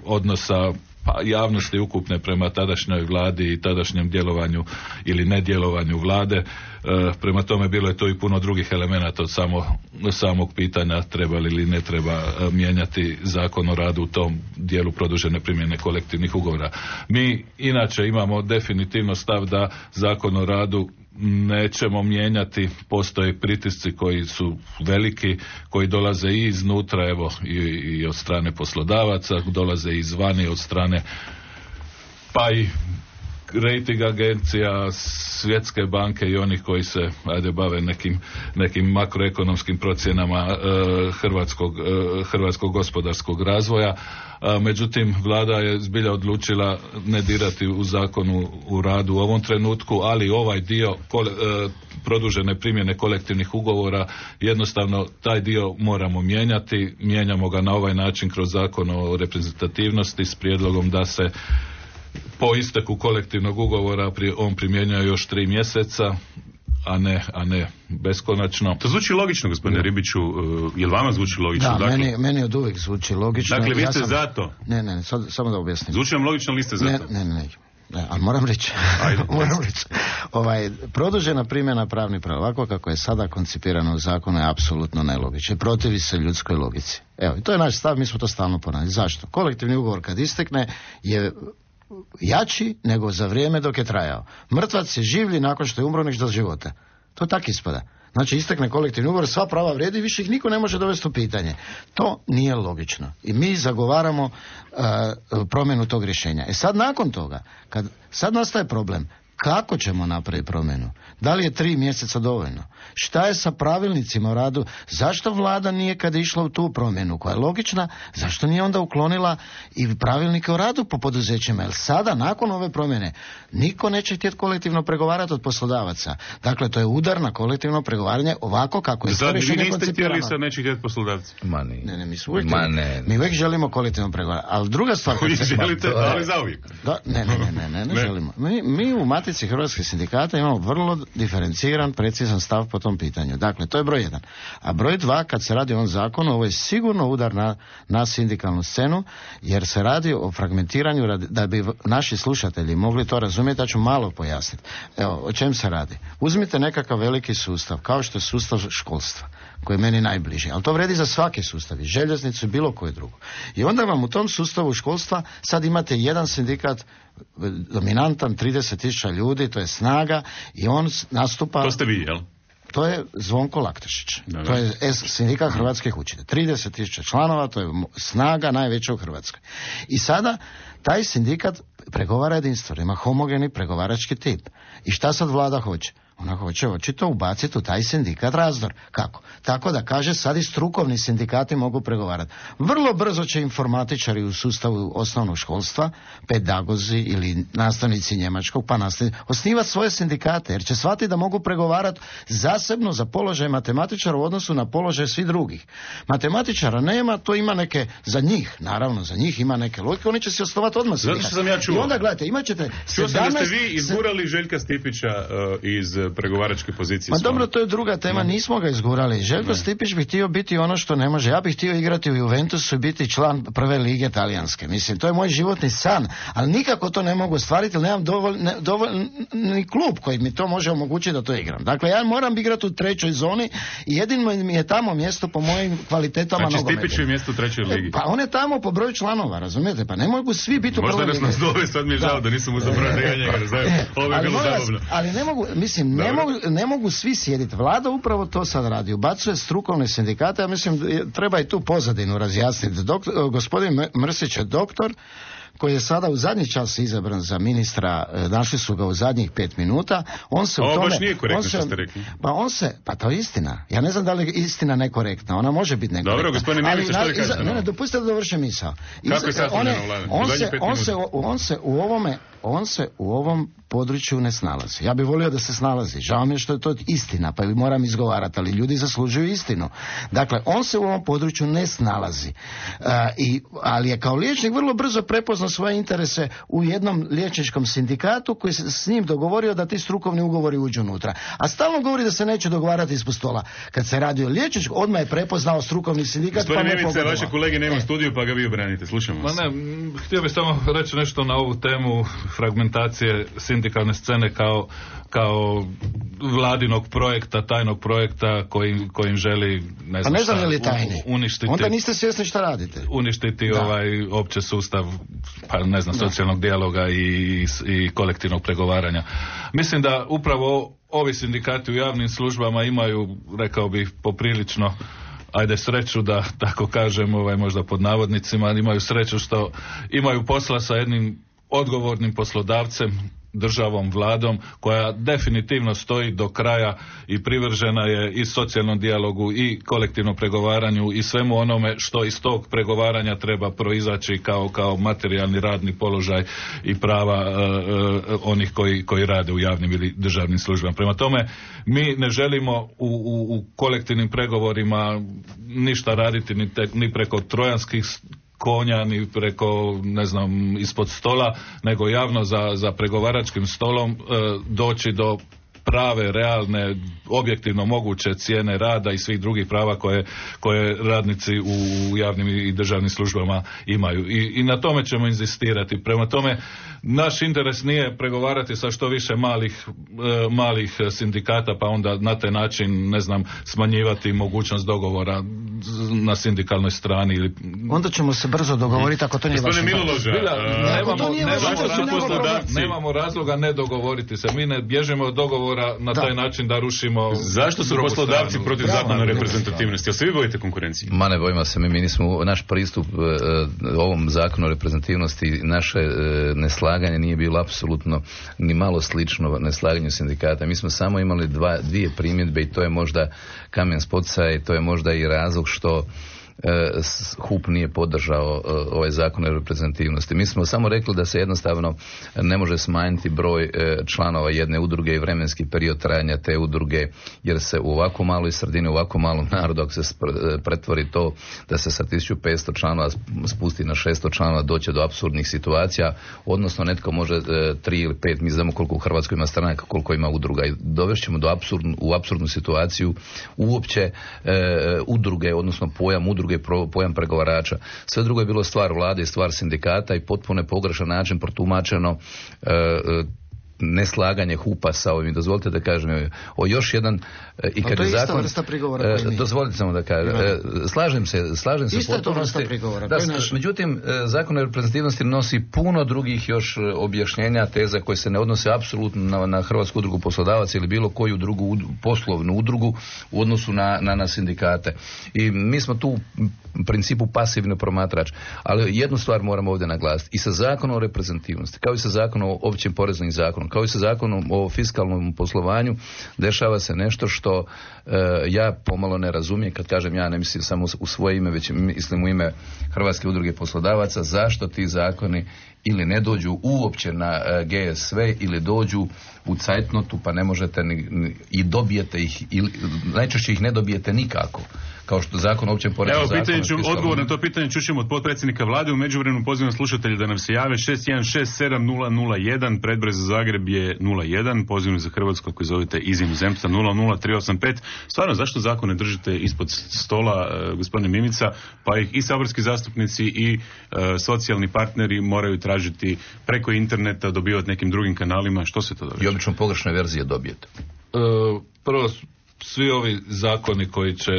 S18: odnosa pa javnosti ukupne prema tadašnjoj vladi i tadašnjem djelovanju ili nedjelovanju vlade. E, prema tome bilo je to i puno drugih elemenata od samo, samog pitanja treba li ili ne treba e, mijenjati zakon o radu u tom dijelu produžene primjene kolektivnih ugovora. Mi inače imamo definitivno stav da zakon o radu nećemo mijenjati, postoje pritisci koji su veliki, koji dolaze i iznutra, evo i, i od strane poslodavaca, dolaze i izvani od strane pa i rating agencija, Svjetske banke i onih koji se ajde bave nekim, nekim makroekonomskim procjenama e, hrvatskog, e, hrvatskog gospodarskog razvoja. E, međutim, vlada je zbilja odlučila ne dirati u zakonu u radu u ovom trenutku, ali ovaj dio kole, e, produžene primjene kolektivnih ugovora, jednostavno taj dio moramo mijenjati. Mijenjamo ga na ovaj način kroz zakon o reprezentativnosti s prijedlogom da se po isteku kolektivnog ugovora on primjenjuje još tri mjeseca, a ne, a ne beskonačno.
S10: To zvuči logično, gospodine ne. Ribiću, jel vama zvuči logično?
S19: Da,
S10: dakle,
S19: meni, meni od uvijek zvuči logično.
S10: Dakle, vi ste
S19: ja sam...
S10: za to?
S19: Ne, ne, sad, samo da objasnim.
S10: Zvuči vam logično, li ste za
S19: ne,
S10: to?
S19: Ne, ne, ne. Ne, ali moram reći, moram reći, ovaj, produžena primjena pravnih prava, ovako kako je sada koncipirano u zakonu, je apsolutno nelogično. Protivi se ljudskoj logici. Evo, to je naš stav, mi smo to stalno ponavljali. Zašto? Kolektivni ugovor kad istekne je jači nego za vrijeme dok je trajao. Mrtvac je življi nakon što je umro nek do života. To tako ispada. Znači istekne kolektivni ugovor, sva prava vrijedi, više ih niko ne može dovesti u pitanje. To nije logično. I mi zagovaramo uh, promjenu tog rješenja. E sad nakon toga, kad sad nastaje problem, kako ćemo napraviti promjenu? Da li je tri mjeseca dovoljno? Šta je sa pravilnicima o radu? Zašto vlada nije kad je išla u tu promjenu koja je logična, zašto nije onda uklonila i pravilnike o radu po poduzećima? Jer sada, nakon ove promjene, niko neće htjeti kolektivno pregovarati od poslodavaca. Dakle, to je udar na kolektivno pregovaranje ovako kako je to rješenje koncipirano.
S10: Vi niste htjeli sad neće htjeti poslodavci?
S20: Ma ne.
S19: Ne, ne, mi, uvijek, ne. mi uvijek želimo kolektivno pregovarati. Ali druga stvar...
S10: Vi želite,
S19: ma,
S10: ali za uvijek.
S19: Da, ne, ne, ne, ne, ne, ne, ne želimo. Mi, mi u Matici hrvatskih sindikata imamo vrlo diferenciran, precizan stav po tom pitanju. Dakle, to je broj jedan. A broj dva, kad se radi o ovom zakonu, ovo je sigurno udar na, na sindikalnu scenu, jer se radi o fragmentiranju, da bi naši slušatelji mogli to razumjeti, ja ću malo pojasniti. Evo, o čem se radi? Uzmite nekakav veliki sustav, kao što je sustav školstva, koji je meni najbliži, ali to vredi za svaki sustav, i željeznicu i bilo koje drugo. I onda vam u tom sustavu školstva sad imate jedan sindikat dominantan, trideset tisuća ljudi, to je Snaga, i on nastupa...
S10: To ste vi, jel?
S19: To je Zvonko Laktošić. Da, to je sindikat hrvatskih učitelja. trideset tisuća članova, to je Snaga, najveća u Hrvatskoj. I sada taj sindikat pregovara jedinstveno, ima homogeni pregovarački tip. I šta sad vlada hoće? Ona hoće očito ubaciti u taj sindikat razdor. Kako? Tako da kaže sad i strukovni sindikati mogu pregovarati. Vrlo brzo će informatičari u sustavu osnovnog školstva, pedagozi ili nastavnici njemačkog, pa nastavnici, osnivati svoje sindikate, jer će shvatiti da mogu pregovarati zasebno za položaj matematičara u odnosu na položaj svih drugih. Matematičara nema, to ima neke, za njih, naravno, za njih ima neke logike, oni će se osnovati odmah sindikat.
S10: Zato što sam ja čuo.
S19: I onda gledajte, imat ćete
S10: Čuo sam da ste vi izgurali Željka Stipića uh, iz pregovaračke pozicije.
S19: Ma dobro, to je druga tema, nismo ga izgurali. Željko ne. Stipić bi htio biti ono što ne može. Ja bih htio igrati u Juventusu i biti član prve lige talijanske. Mislim, to je moj životni san, ali nikako to ne mogu ostvariti, jer nemam dovoljni dovolj, klub koji mi to može omogućiti da to igram. Dakle, ja moram igrati u trećoj zoni i jedino mi je tamo mjesto po mojim kvalitetama
S10: znači,
S19: nogometa.
S10: Znači Stipić je mjesto u trećoj ligi.
S19: Pa on je tamo po broju članova, razumijete? Pa ne mogu svi biti u prvoj ligi.
S10: Možda nas nazove, sad mi je žao da nisam uzabrao njega, ne znam, ovo je bilo zabavno.
S19: Ali ne mogu, mislim, ne mogu, ne mogu svi sjediti. Vlada upravo to sad radi. Ubacuje strukovne sindikate, ja mislim, treba i tu pozadinu razjasniti. Doktor, gospodin Mrsić je doktor koji je sada u zadnji čas izabran za ministra, našli su ga u zadnjih pet minuta, on se
S10: Ovo
S19: u tome...
S10: baš nije korektno
S19: on se,
S10: što ste rekli.
S19: Pa on se, pa to je istina. Ja ne znam da li je istina nekorektna, ona može biti nekorektna.
S10: Dobro, gospodine Mimica, što vi kažete?
S19: Ne, ne, dopustite da dovršim misao.
S10: Kako je sastavljeno vlada?
S19: On se, on, se, on se u ovome, on se u ovom području ne snalazi. Ja bih volio da se snalazi. Žao mi je što je to istina, pa ju moram izgovarati, ali ljudi zaslužuju istinu. Dakle, on se u ovom području ne snalazi. Uh, i, ali je kao liječnik vrlo brzo prepoznao svoje interese u jednom liječničkom sindikatu koji se s njim dogovorio da ti strukovni ugovori uđu unutra. A stalno govori da se neće dogovarati ispod stola. Kad se radi o liječničkom, odmah je prepoznao strukovni sindikat.
S10: Gospodine pa Mimice, vaše kolege nema u studiju, pa ga vi obranite. Slušamo vas.
S18: Ma ne, htio bih samo reći nešto na ovu temu fragmentacije sindikalne scene kao, kao vladinog projekta, tajnog projekta kojim, kojim želi ne znam,
S19: pa ne znam
S18: šta,
S19: je li tajni.
S18: uništiti.
S19: Onda niste svjesni šta radite.
S18: Uništiti
S19: da.
S18: ovaj opće sustav, pa ne znam, da. socijalnog dijaloga i, i kolektivnog pregovaranja. Mislim da upravo ovi sindikati u javnim službama imaju, rekao bih, poprilično ajde sreću da tako kažem, ovaj, možda pod navodnicima, imaju sreću što imaju posla sa jednim odgovornim poslodavcem, državom, vladom, koja definitivno stoji do kraja i privržena je i socijalnom dijalogu i kolektivnom pregovaranju i svemu onome što iz tog pregovaranja treba proizaći kao, kao materijalni radni položaj i prava uh, uh, onih koji, koji rade u javnim ili državnim službama. Prema tome, mi ne želimo u, u, u kolektivnim pregovorima ništa raditi ni, te, ni preko trojanskih konja, ni preko, ne znam, ispod stola, nego javno za, za pregovaračkim stolom e, doći do prave, realne, objektivno moguće cijene rada i svih drugih prava koje, koje radnici u javnim i državnim službama imaju. I, i na tome ćemo inzistirati. Prema tome, naš interes nije pregovarati sa što više malih, e, malih sindikata, pa onda na taj način, ne znam, smanjivati mogućnost dogovora na sindikalnoj strani. Ili...
S19: Onda ćemo se brzo dogovoriti ako to nije vaš
S10: interes.
S18: Nemamo razloga ne dogovoriti se. Mi ne bježimo od dogovora na taj da. način da rušimo.
S10: Zašto su poslodavci stranu? Protiv zakona reprezentativnosti? Jel se vi bojite konkurencije?
S20: Ma ne bojimo se, mi, mi nismo, naš pristup uh, ovom zakonu o reprezentativnosti, naše uh, neslaganje nije bilo apsolutno ni malo slično neslaganju sindikata. Mi smo samo imali dva, dvije primjedbe i to je možda kamen spoticanja i to je možda i razlog što H U P nije podržao ovaj zakon o reprezentativnosti. Mi smo samo rekli da se jednostavno ne može smanjiti broj članova jedne udruge i vremenski period trajanja te udruge, jer se u ovako maloj sredini, u ovako malom narodu, ako se pretvori to da se sa tisuću petsto članova spusti na šesto članova, doće do apsurdnih situacija, odnosno netko može tri ili pet, mi znamo koliko u Hrvatskoj ima stranaka, koliko ima udruga, i dovešćemo do apsurdnu, u apsurdnu situaciju uopće e, udruge, odnosno pojam udruge, pojam pregovarača. Sve drugo je bilo stvar vlade i stvar sindikata i potpuno je pogrešan način protumačeno e, neslaganje H U P-a sa ovim. Dozvolite da kažem o još jedan i kad je zakon, dozvolite samo da kažem, slažem se, slažem se
S19: isto je to vrsta prigovora.
S20: Da, međutim, zakon o reprezentativnosti nosi puno drugih još objašnjenja, teza koje se ne odnose apsolutno na, na Hrvatsku udrugu poslodavaca ili bilo koju drugu poslovnu udrugu u odnosu na, na, na sindikate. I mi smo tu principu pasivni promatrač. Ali jednu stvar moramo ovdje naglasiti. I sa zakonom o reprezentativnosti, kao i sa zakonom o općim poreznim zakonom, kao i sa zakonom o fiskalnom poslovanju, dešava se nešto što e, ja pomalo ne razumijem. Kad kažem ja, ne mislim samo u svoje ime, već mislim u ime Hrvatske udruge poslodavaca, zašto ti zakoni ili ne dođu uopće na uh, G S V ili dođu u cajtnotu pa ne možete ni, ni, i dobijete ih, ili, najčešće ih ne dobijete nikako. Kao što zakon o općem poreznom zakonu.
S10: Evo, pitanje ću, odgovor na to pitanje čućemo od potpredsjednika vlade. U međuvremenu pozivam slušatelje da nam se jave. šest jedan šest sedam nula nula jedan, predbroj za Zagreb je nula jedan, pozivno za Hrvatsku ako zovete iz inozemstva nula nula tri osam pet. Stvarno, zašto zakon ne držite ispod stola, uh, gospodine Mimica, pa ih i saborski zastupnici i uh, socijalni partneri moraju tražiti preko interneta, dobivati nekim drugim kanalima? Što se to događa?
S20: I obično pogrešne verzije dobijete.
S18: Uh, prvo, svi ovi zakoni koji će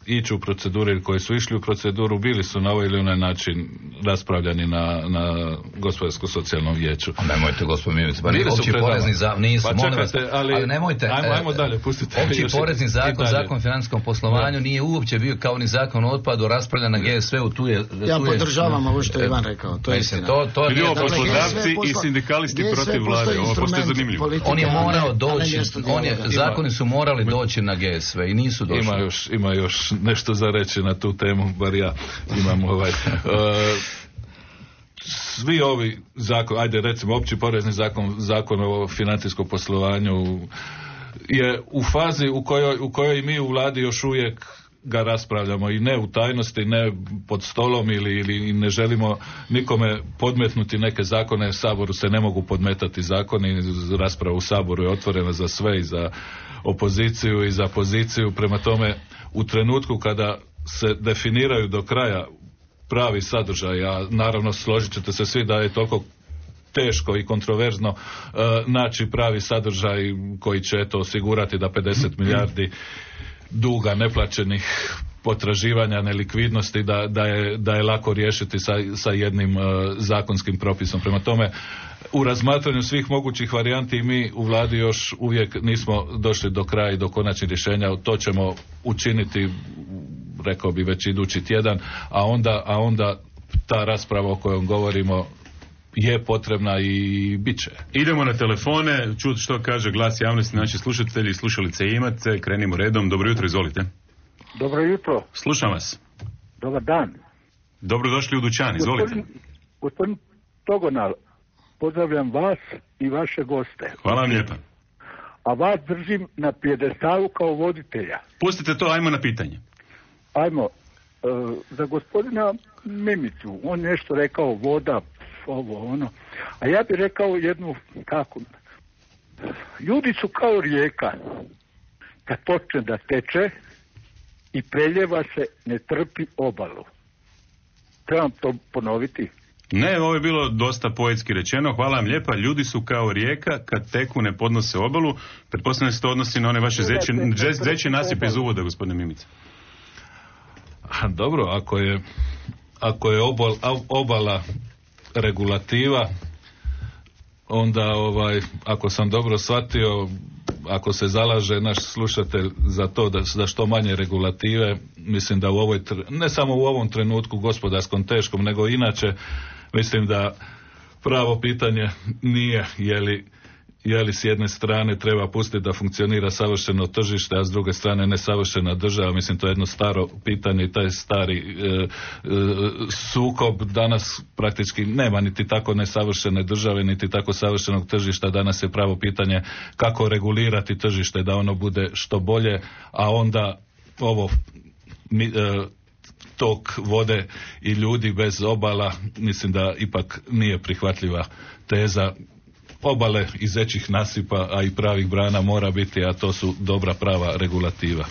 S18: ići u proceduru ili koji su išli u proceduru bili su na ovaj ili onaj način raspravljani na, na gospodarsko-socijalnom vijeću.
S20: A nemojte, gospodin Mimica, pa opći porezni zakon, nisu,
S18: pa
S20: molim vas,
S18: ali,
S20: ali nemojte,
S18: ajmo, ajmo dalje, pustite.
S20: Opći porezni zakon, zakon o financijskom poslovanju da. Nije uopće bio kao ni zakon o otpadu raspravljan na G S V-u, tu je... Tu
S19: ja
S20: je,
S19: podržavam ovo što je Ivan rekao, to je istina.
S20: To, to
S10: je poslodavci i sindikalisti protiv vlade, ovo pošto je zanimljivo.
S20: On je morao doći, on je, zakoni su morali doći na G S V i nisu došli.
S18: Ima još, ima još nešto za reći na tu temu, bar ja imam ovaj... Uh, svi ovi zakon, ajde recimo opći porezni zakon, zakon o financijskom poslovanju je u fazi u kojoj, u kojoj mi u vladi još uvijek ga raspravljamo i ne u tajnosti, ne pod stolom ili, ili ne želimo nikome podmetnuti neke zakone. Saboru se ne mogu podmetati zakoni, rasprava u Saboru je otvorena za sve, i za opoziciju i za poziciju. Prema tome, u trenutku kada se definiraju do kraja pravi sadržaj, a naravno složit ćete se svi da je toliko teško i kontroverzno uh, naći pravi sadržaj koji će eto osigurati da pedeset milijardi duga neplaćenih potraživanja, nelikvidnosti, da, da, je, da je lako riješiti sa, sa jednim uh, zakonskim propisom. Prema tome, u razmatranju svih mogućih varijanti mi u vladi još uvijek nismo došli do kraja i do konačnih rješenja. To ćemo učiniti, rekao bi, već idući tjedan, a onda, a onda ta rasprava o kojoj govorimo je potrebna i bit će.
S10: Idemo na telefone, čuti što kaže glas javnosti, naši slušatelji i slušalice imate. Krenimo redom. Dobro jutro, izvolite.
S21: Dobro jutro.
S10: Slušam vas.
S21: Dobar dan.
S10: Dobrodošli u dućan, izvolite.
S21: Gospodin, gospodin Togonal, pozdravljam vas i vaše goste.
S10: Hvala vam lijepa.
S21: A vas držim na pjedestalu kao voditelja.
S10: Pustite to, ajmo na pitanje.
S21: Ajmo. E, za gospodina Mimicu, on nešto rekao, voda, ovo, ono. A ja bih rekao jednu, kako, ljudi su kao rijeka. Kad počne da teče i preljeva se, ne trpi obalu. Trebam to ponoviti?
S10: Ne, ovo je bilo dosta poetski rečeno. Hvala vam lijepa. Ljudi su kao rijeka, kad teku ne podnose obalu. Pretpostavljam se to odnosi na one vaše zeće nasipe iz uvoda, gospodine Mimica.
S18: Dobro, ako je, ako je obal, obala regulativa, onda ovaj, ako sam dobro shvatio, ako se zalaže naš slušatelj za to da, da što manje regulative, mislim da u ovoj, ne samo u ovom trenutku gospodarskom teškom, nego inače, mislim da pravo pitanje nije je li, je li s jedne strane treba pustiti da funkcionira savršeno tržište, a s druge strane nesavršena država. Mislim, to je jedno staro pitanje i taj stari e, e, sukob danas praktički nema niti tako nesavršene države, niti tako savršenog tržišta. Danas je pravo pitanje kako regulirati tržište da ono bude što bolje, a onda ovo mi, e, tok vode i ljudi bez obala, mislim da ipak nije prihvatljiva teza. Obale iz većih nasipa, a i pravih brana mora biti, a to su dobra prava regulativa.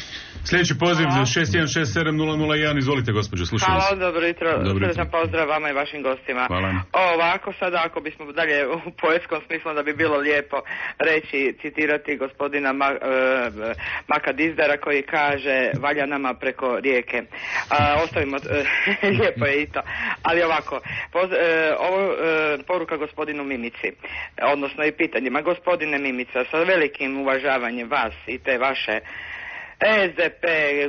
S10: Sljedeći poziv za šest jedan šest sedam nula nula jedan, izvolite gospođo, slušam vas.
S22: Hvala, dobro jutro, srdećan pozdrav vama i vašim gostima.
S10: Hvala.
S22: Ovako sada, ako bismo dalje u poetskom smislu, da bi bilo lijepo reći, citirati gospodina Ma, uh, Maka Dizdara koji kaže, valja nama preko rijeke. Uh, ostavimo, uh, lijepo je i to. Ali ovako, poz, uh, ovo uh, poruka gospodinu Mimici, odnosno i pitanjima. Gospodine Mimica, sa velikim uvažavanjem vas i te vaše S D P,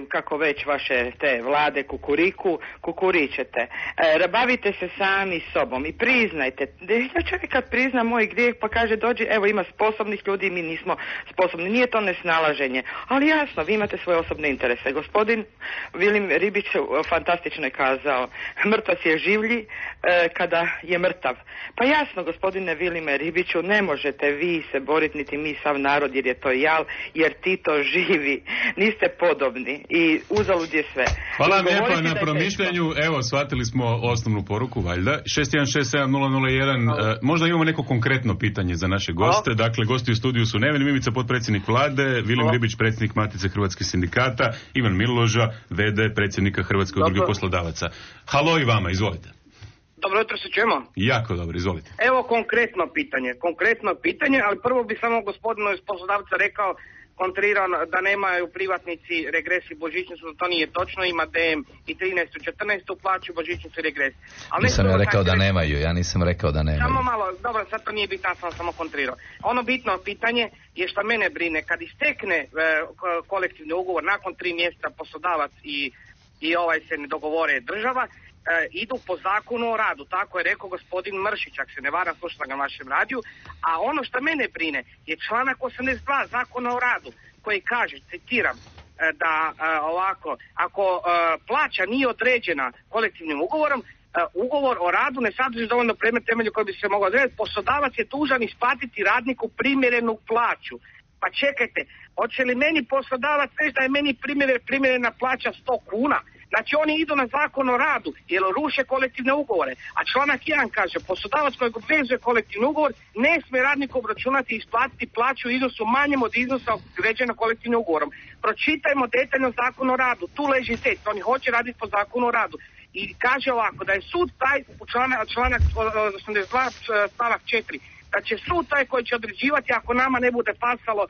S22: kako već vaše te vlade kukuriku, kukuričete. E, bavite se sami sobom i priznajte. Da čovjek kad prizna moj grijeh pa kaže dođi, evo ima sposobnih ljudi, mi nismo sposobni. Nije to nesnalaženje. Ali jasno, vi imate svoje osobne interese. Gospodin Vilim Ribić fantastično je kazao, mrtvac je življi e, kada je mrtav. Pa jasno, gospodine Vilime Ribiću, ne možete vi se boriti niti mi sav narod jer je to jal, jer Tito živi. Niste podobni i uzalud je sve.
S10: Hvala vam lijepo na promišljanju. Evo, shvatili smo osnovnu poruku, valjda. šest jedan šest sedam nula nula jedan. Uh, možda imamo neko konkretno pitanje za naše goste. Dakle, gosti u studiju su Neven Mimica, potpredsjednik vlade, Vilim Halo. Ribić, predsjednik Matice hrvatskih sindikata, Ivan Miloža, v d predsjednika Hrvatske udruge poslodavaca. Halo i vama, izvolite.
S1: Dobro jutro, se čujemo?
S10: Jako dobro, izvolite.
S1: Evo konkretno pitanje, konkretno pitanje, ali prvo bi samo gospodinu iz poslodavca rekao, kontrirao da nemaju privatnici regres i božićnicu, to nije točno, ima D M i trinaestu i četrnaestu plaću, božićnicu i regres. Ali
S20: nisam ja rekao da nemaju, ja nisam rekao da nemaju.
S1: Samo malo, dobro, sad to nije bitno, ja sam samo kontrirao. Ono bitno pitanje je što mene brine, kad istekne e, kolektivni ugovor, nakon tri mjeseca poslodavac i, i ovaj se ne dogovore država, E, idu po zakonu o radu, tako je rekao gospodin Mršić, ako se ne varam, slušala ga na vašem radiju, a ono što mene brine je članak osamdeset dva zakona o radu, koji kaže, citiram, e, da e, ovako, ako e, plaća nije određena kolektivnim ugovorom, e, ugovor o radu ne sadrži dovoljno predmet temelju koji bi se mogao odrediti, poslodavac je dužan isplatiti radniku primjerenu plaću. Pa čekajte, hoće li meni poslodavac reći da je meni primjer, primjerena plaća sto kuna? Znači oni idu na zakon o radu jer ruše kolektivne ugovore. A članak jedan kaže, poslodavac kojeg obvezuje kolektivni ugovor ne smije radniku obračunati i isplatiti plaću u iznosu manjem od iznosa određenog kolektivnim ugovorom. Pročitajmo detaljno zakon o radu, tu leži test, oni hoće raditi po zakonu o radu. I kaže ovako, da je sud taj, u članak, članak osamdeset dva stavak četiri, da će sud taj koji će određivati ako nama ne bude pasalo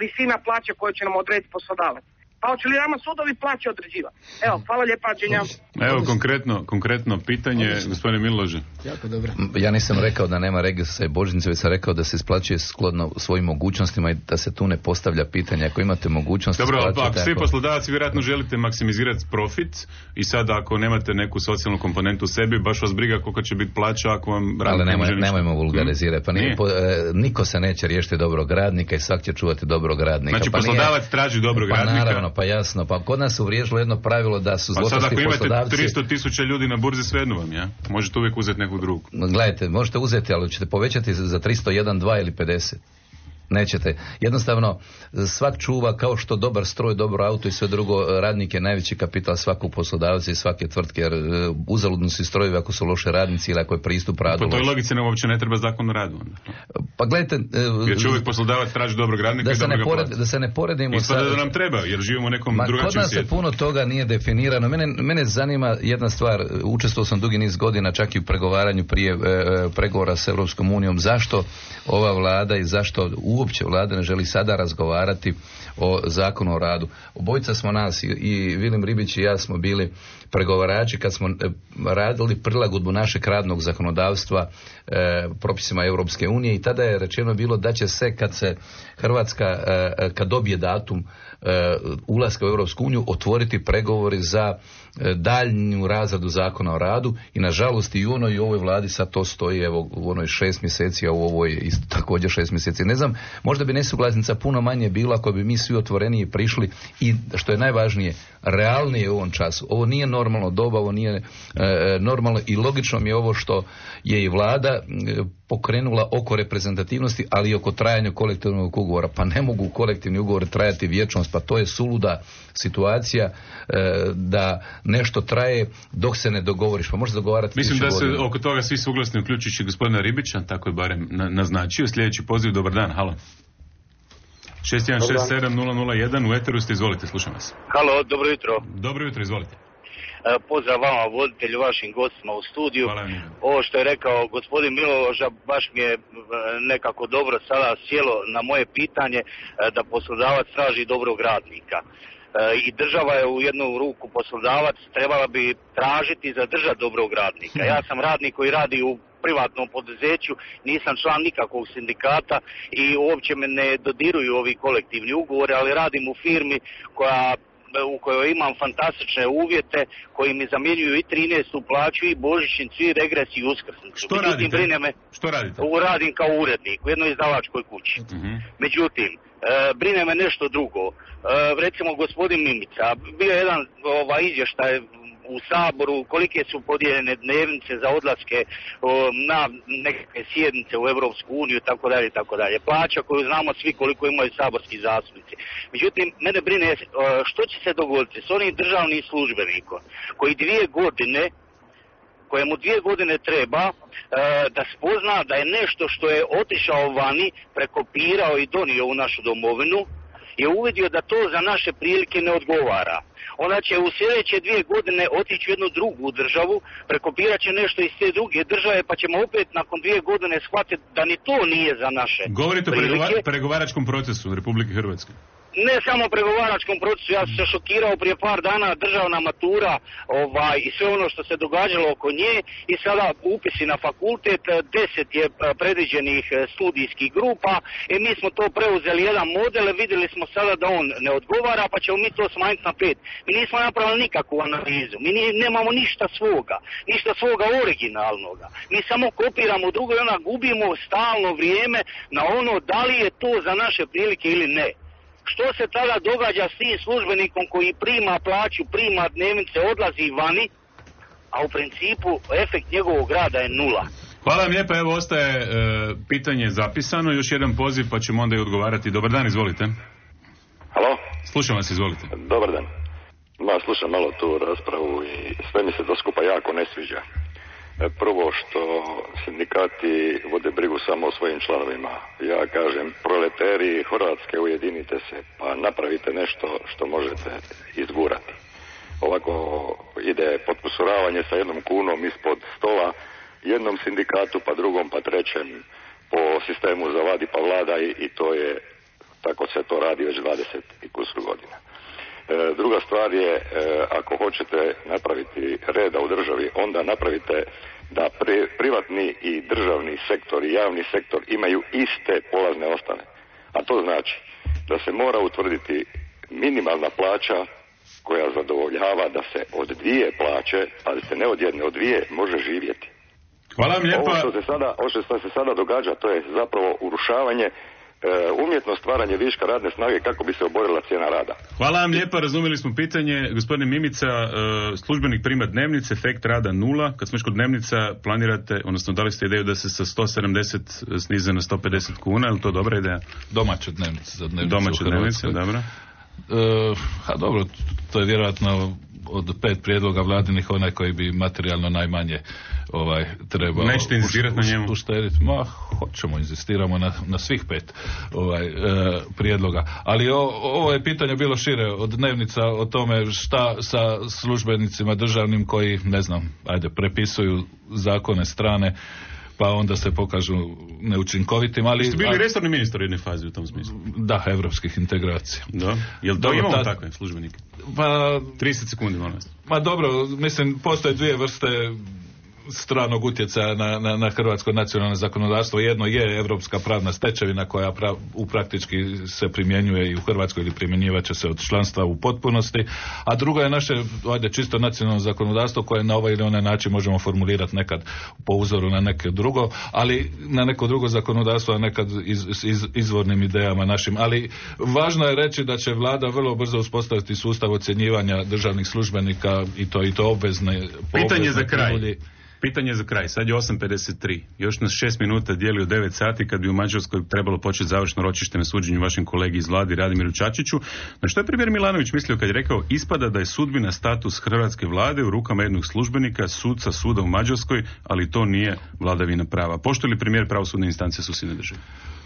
S1: visina plaće koju će nam odrediti poslodavac. Pa hoće li nama sudovi plaće određivati? Evo, hvala lijepa, Đenja.
S10: Evo, konkretno, konkretno pitanje, gospodine Milože.
S19: Jako dobro.
S20: Ja nisam rekao da nema regresa i božićnice, već sam rekao da se isplaćuje skladno svojim mogućnostima i da se tu ne postavlja pitanje. Ako imate mogućnost...
S10: Dobro,
S20: ako
S10: ako svi poslodavaci vjerojatno želite maksimizirati profit i sad ako nemate neku socijalnu komponentu u sebi, baš vas briga koliko će biti plaća ako vam...
S20: Ali nemoj, nemojmo vulgarizirati. Pa nije, po, e, niko se neće riješiti dobrog radnika i svak će čuvati dobrog radnika.
S10: Znači
S20: pa
S10: poslodavac
S20: nije,
S10: traži dobrog
S20: pa
S10: radnika.
S20: Naravno, pa jasno. Pa kod nas se uvriježilo jedno pravilo da su zločesti poslodavci...
S10: Pa sad ako imate tristo tisuća ljudi na burzi, svejedno vam, ja? Možete uvijek uzeti nekog drugog.
S20: Gledajte, možete uzeti, ali ćete povećati za tristo jedan, dva ili pedeset. Nećete. Jednostavno, svak čuva kao što dobar stroj, dobro auto i sve drugo, radnik je najveći kapital svakog poslodavca i svake tvrtke, jer uzaludno su strojevi ako su loše radnici ili ako je pristup radu.
S10: Po toj logici nam uopće ne treba zakon o radu. Onda.
S20: Pa gledajte...
S10: Jer će uvijek poslodavac traži dobrog radnika
S20: da
S10: i
S20: se
S10: dobro
S20: ne
S10: ga
S20: pored,
S10: plati.
S20: Da se ne poredimo...
S10: Ispada sa... da nam treba, jer živimo u nekom
S20: Ma,
S10: drugačijem
S20: kod nas
S10: svijetu.
S20: se puno toga nije definirano. Mene, mene zanima jedna stvar, učestvovao sam dugi niz godina čak i u pregovaranju prije e, pregovora s Europskom unijom. Zašto ova vlada i zašto uopće vlada ne želi sada razgovarati o zakonu o radu? Obojica smo nas, i, i Vilim Ribić i ja smo bili pregovarači kad smo radili prilagodbu našeg radnog zakonodavstva e, propisima Europske unije i tada je rečeno bilo da će se kad se Hrvatska e, kad dobije datum e, ulaska u Europsku uniju otvoriti pregovori za e, daljnju razradu zakona o radu i nažalost i u onoj i u ovoj vladi sad to stoji evo u onoj šest mjeseci, a u ovoj isto također šest mjeseci. Ne znam, možda bi nesuglasnica puno manje bila ako bi mi svi otvoreniji prišli i što je najvažnije, realnije u ovom času. Ovo nije normalno doba, ovo nije e, normalno i logično mi je ovo što je i vlada e, pokrenula oko reprezentativnosti, ali i oko trajanja kolektivnog ugovora. Pa ne mogu kolektivni ugovori trajati vječnost, pa to je suluda situacija e, da nešto traje dok se ne dogovoriš. Pa možeš dogovarati.
S10: Mislim da se godina. Oko toga svi suglasni, uključujući gospodina Ribića, tako je barem na, naznačio. Sljedeći poziv, dobar dan, halo. šest jedan šest sedam nula nula jedan, u eteru ste, izvolite, slušam vas.
S3: Halo, dobro jutro.
S10: Dobro jutro, izvolite.
S3: Pozdrav vama, voditelju, vašim gostima u studiju. Ovo što je rekao gospodin Miloža baš mi je nekako dobro sada sjelo na moje pitanje da poslodavac traži dobrog radnika. I država je u jednu ruku poslodavac, trebala bi tražiti i zadržati dobrog radnika. Ja sam radnik koji radi u privatnom poduzeću, nisam član nikakvog sindikata i uopće me ne dodiruju ovi kolektivni ugovori, ali radim u firmi koja u kojoj imam fantastične uvjete koji mi zamjenjuju i trinaestu plaću i božićnicu i regres i uskrsnicu.
S10: Što radite?
S3: Me,
S10: Što radite?
S3: Radim kao urednik u jednoj izdavačkoj kući. Uh-huh. Međutim, e, brine me nešto drugo. E, recimo gospodin Mimica, bio je jedan ovaj, izvještaj u Saboru kolike su podijeljene dnevnice za odlaske o, na nekakve sjednice u Europsku uniju, tako dalje, tako dalje. Plaća koju znamo svi koliko imaju saborski zastupnici. Međutim, mene brine o, što će se dogoditi s onim državnim službenikom koji dvije godine kojemu dvije godine treba e, da spozna da je nešto što je otišao vani, prekopirao i donio u našu domovinu, je uvidio da to za naše prilike ne odgovara. Ona će u sljedeće dvije godine otići u jednu drugu državu, prekopirat će nešto iz te druge države, pa ćemo opet nakon dvije godine shvatiti da ni to nije za naše
S10: Govorite
S3: prilike.
S10: o pregova- pregovaračkom procesu Republike Hrvatske.
S3: Ne samo o pregovaračkom procesu, ja sam se šokirao prije par dana, državna matura ovaj, i sve ono što se događalo oko nje i sada upisi na fakultet, deset je predviđenih studijskih grupa i mi smo to preuzeli jedan model, vidjeli smo sada da on ne odgovara pa ćemo mi to smanjiti na pet. Mi nismo napravili nikakvu analizu, mi ni, nemamo ništa svoga, ništa svoga originalnoga. Mi samo kopiramo drugo i onda gubimo stalno vrijeme na ono da li je to za naše prilike ili ne. Što se tada događa s tim službenikom koji prima plaću, prima dnevnice, odlazi vani, a u principu efekt njegovog rada je nula.
S10: Hvala vam lijepa, evo ostaje e, pitanje zapisano, još jedan poziv pa ćemo onda i odgovarati. Dobar dan, izvolite.
S4: Halo?
S10: Slušam vas, izvolite.
S4: Dobar dan. Ma, slušam malo tu raspravu i sve mi se to skupa jako ne sviđa. Prvo što sindikati vode brigu samo o svojim članovima. Ja kažem, proleteri Hrvatske, ujedinite se, pa napravite nešto što možete izgurati. Ovako ide potkusuravanje sa jednom kunom ispod stola, jednom sindikatu, pa drugom, pa trećem, po sistemu zavadi pa vlada i, i to je, tako se to radi već dvadeset i kusur godina. E, druga stvar je, e, ako hoćete napraviti reda u državi, onda napravite da pri, privatni i državni sektor i javni sektor imaju iste polazne osnove. A to znači da se mora utvrditi minimalna plaća koja zadovoljava da se od dvije plaće, ali se ne od jedne, od dvije može živjeti.
S10: Hvala vam lijepa.
S4: Ovo što se sada, ovo što se sada događa, to je zapravo urušavanje, umjetno stvaranje viška radne snage kako bi se oborila cijena rada.
S10: Hvala vam lijepa, razumjeli smo pitanje. Gospodine Mimica, službenik prima dnevnice, efekt rada nula. Kad smo još kod dnevnica, planirate, odnosno dali ste ideju da se sa sto sedamdeset snize na sto pedeset kuna, je li to dobra ideja?
S18: Domaće dnevnice za dnevnice.
S10: Domaće dnevnice, dobro.
S18: E, a dobro, to je vjerojatno od pet prijedloga vladinih onaj koji bi materijalno najmanje ovaj trebao.
S10: Nećete inzistirati na njemu?
S18: Uštediti. Ma, hoćemo, inzistiramo na, na svih pet ovaj, e, prijedloga. Ali o, ovo je pitanje bilo šire od dnevnica o tome šta sa službenicima državnim koji, ne znam, ajde, prepisuju zakone strane pa onda se pokažu neučinkovitim, ali...
S10: Ste bili resorni ministar u jednoj fazi u tom smislu?
S18: Da, evropskih integracija.
S10: Da. Jel to
S18: dobro,
S10: imamo
S18: ta...
S10: takve službenike?
S18: Pa...
S10: trideset sekundi, molim vas.
S18: Ma dobro, mislim, postoje dvije vrste stranog utjecaja na, na, na hrvatsko nacionalno zakonodavstvo. Jedno je europska pravna stečevina koja pra, u praktički se primjenjuje i u Hrvatskoj ili primjenjivat će se od članstva u potpunosti, a drugo je naše, ajde, čisto nacionalno zakonodavstvo koje na ovaj ili onaj način možemo formulirati nekad po uzoru na neke drugo, ali na neko drugo zakonodavstvo, a nekad iz, iz, izvornim idejama našim. Ali važno je reći da će vlada vrlo brzo uspostaviti sustav ocjenjivanja državnih službenika i to i to obvezne.
S10: Pitanje za kraj. Prilji. Pitanje za kraj, sad je osam pedeset tri, još nas šest minuta dijeli u devet sati kad bi u Mađarskoj trebalo početi završno ročište na suđenju vašem kolegi iz vladi Radimiru Čačiću. Na što je premijer Milanović mislio kad je rekao ispada da je sudbina status hrvatske vlade u rukama jednog službenika, suca suda u Mađarskoj, ali to nije vladavina prava. Poštuje li premijer pravosudne instance susjedne države?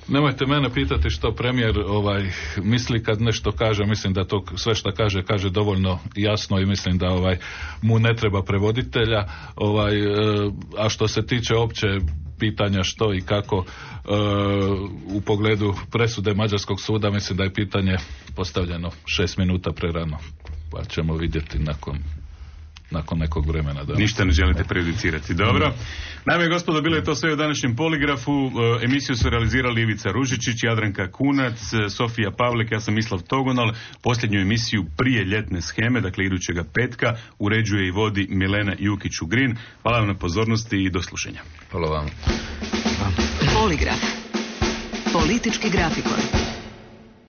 S18: Nemojte mene pitati što premijer ovaj misli kad nešto kaže, mislim da to sve što kaže kaže dovoljno jasno i mislim da ovaj mu ne treba prevoditelja, ovaj e, a što se tiče opće pitanja što i kako e, u pogledu presude Mađarskog suda, mislim da je pitanje postavljeno šest minuta prerano, pa ćemo vidjeti nakon nakon nekog vremena. Da.
S10: Ništa ne želite prejudicirati. Dobro. Naime, gospodo, bilo je to sve u današnjem poligrafu. Emisiju su realizirali Ivica Ružičić, Jadranka Kunac, Sofija Pavlik, ja sam Mislav Togonal. Posljednju emisiju prije ljetne sheme, dakle idućega petka, uređuje i vodi Milena Jukić-Ugrin. Hvala vam na pozornosti i do slušanja.
S20: Hvala vam.
S9: Poligraf. Politički grafikon.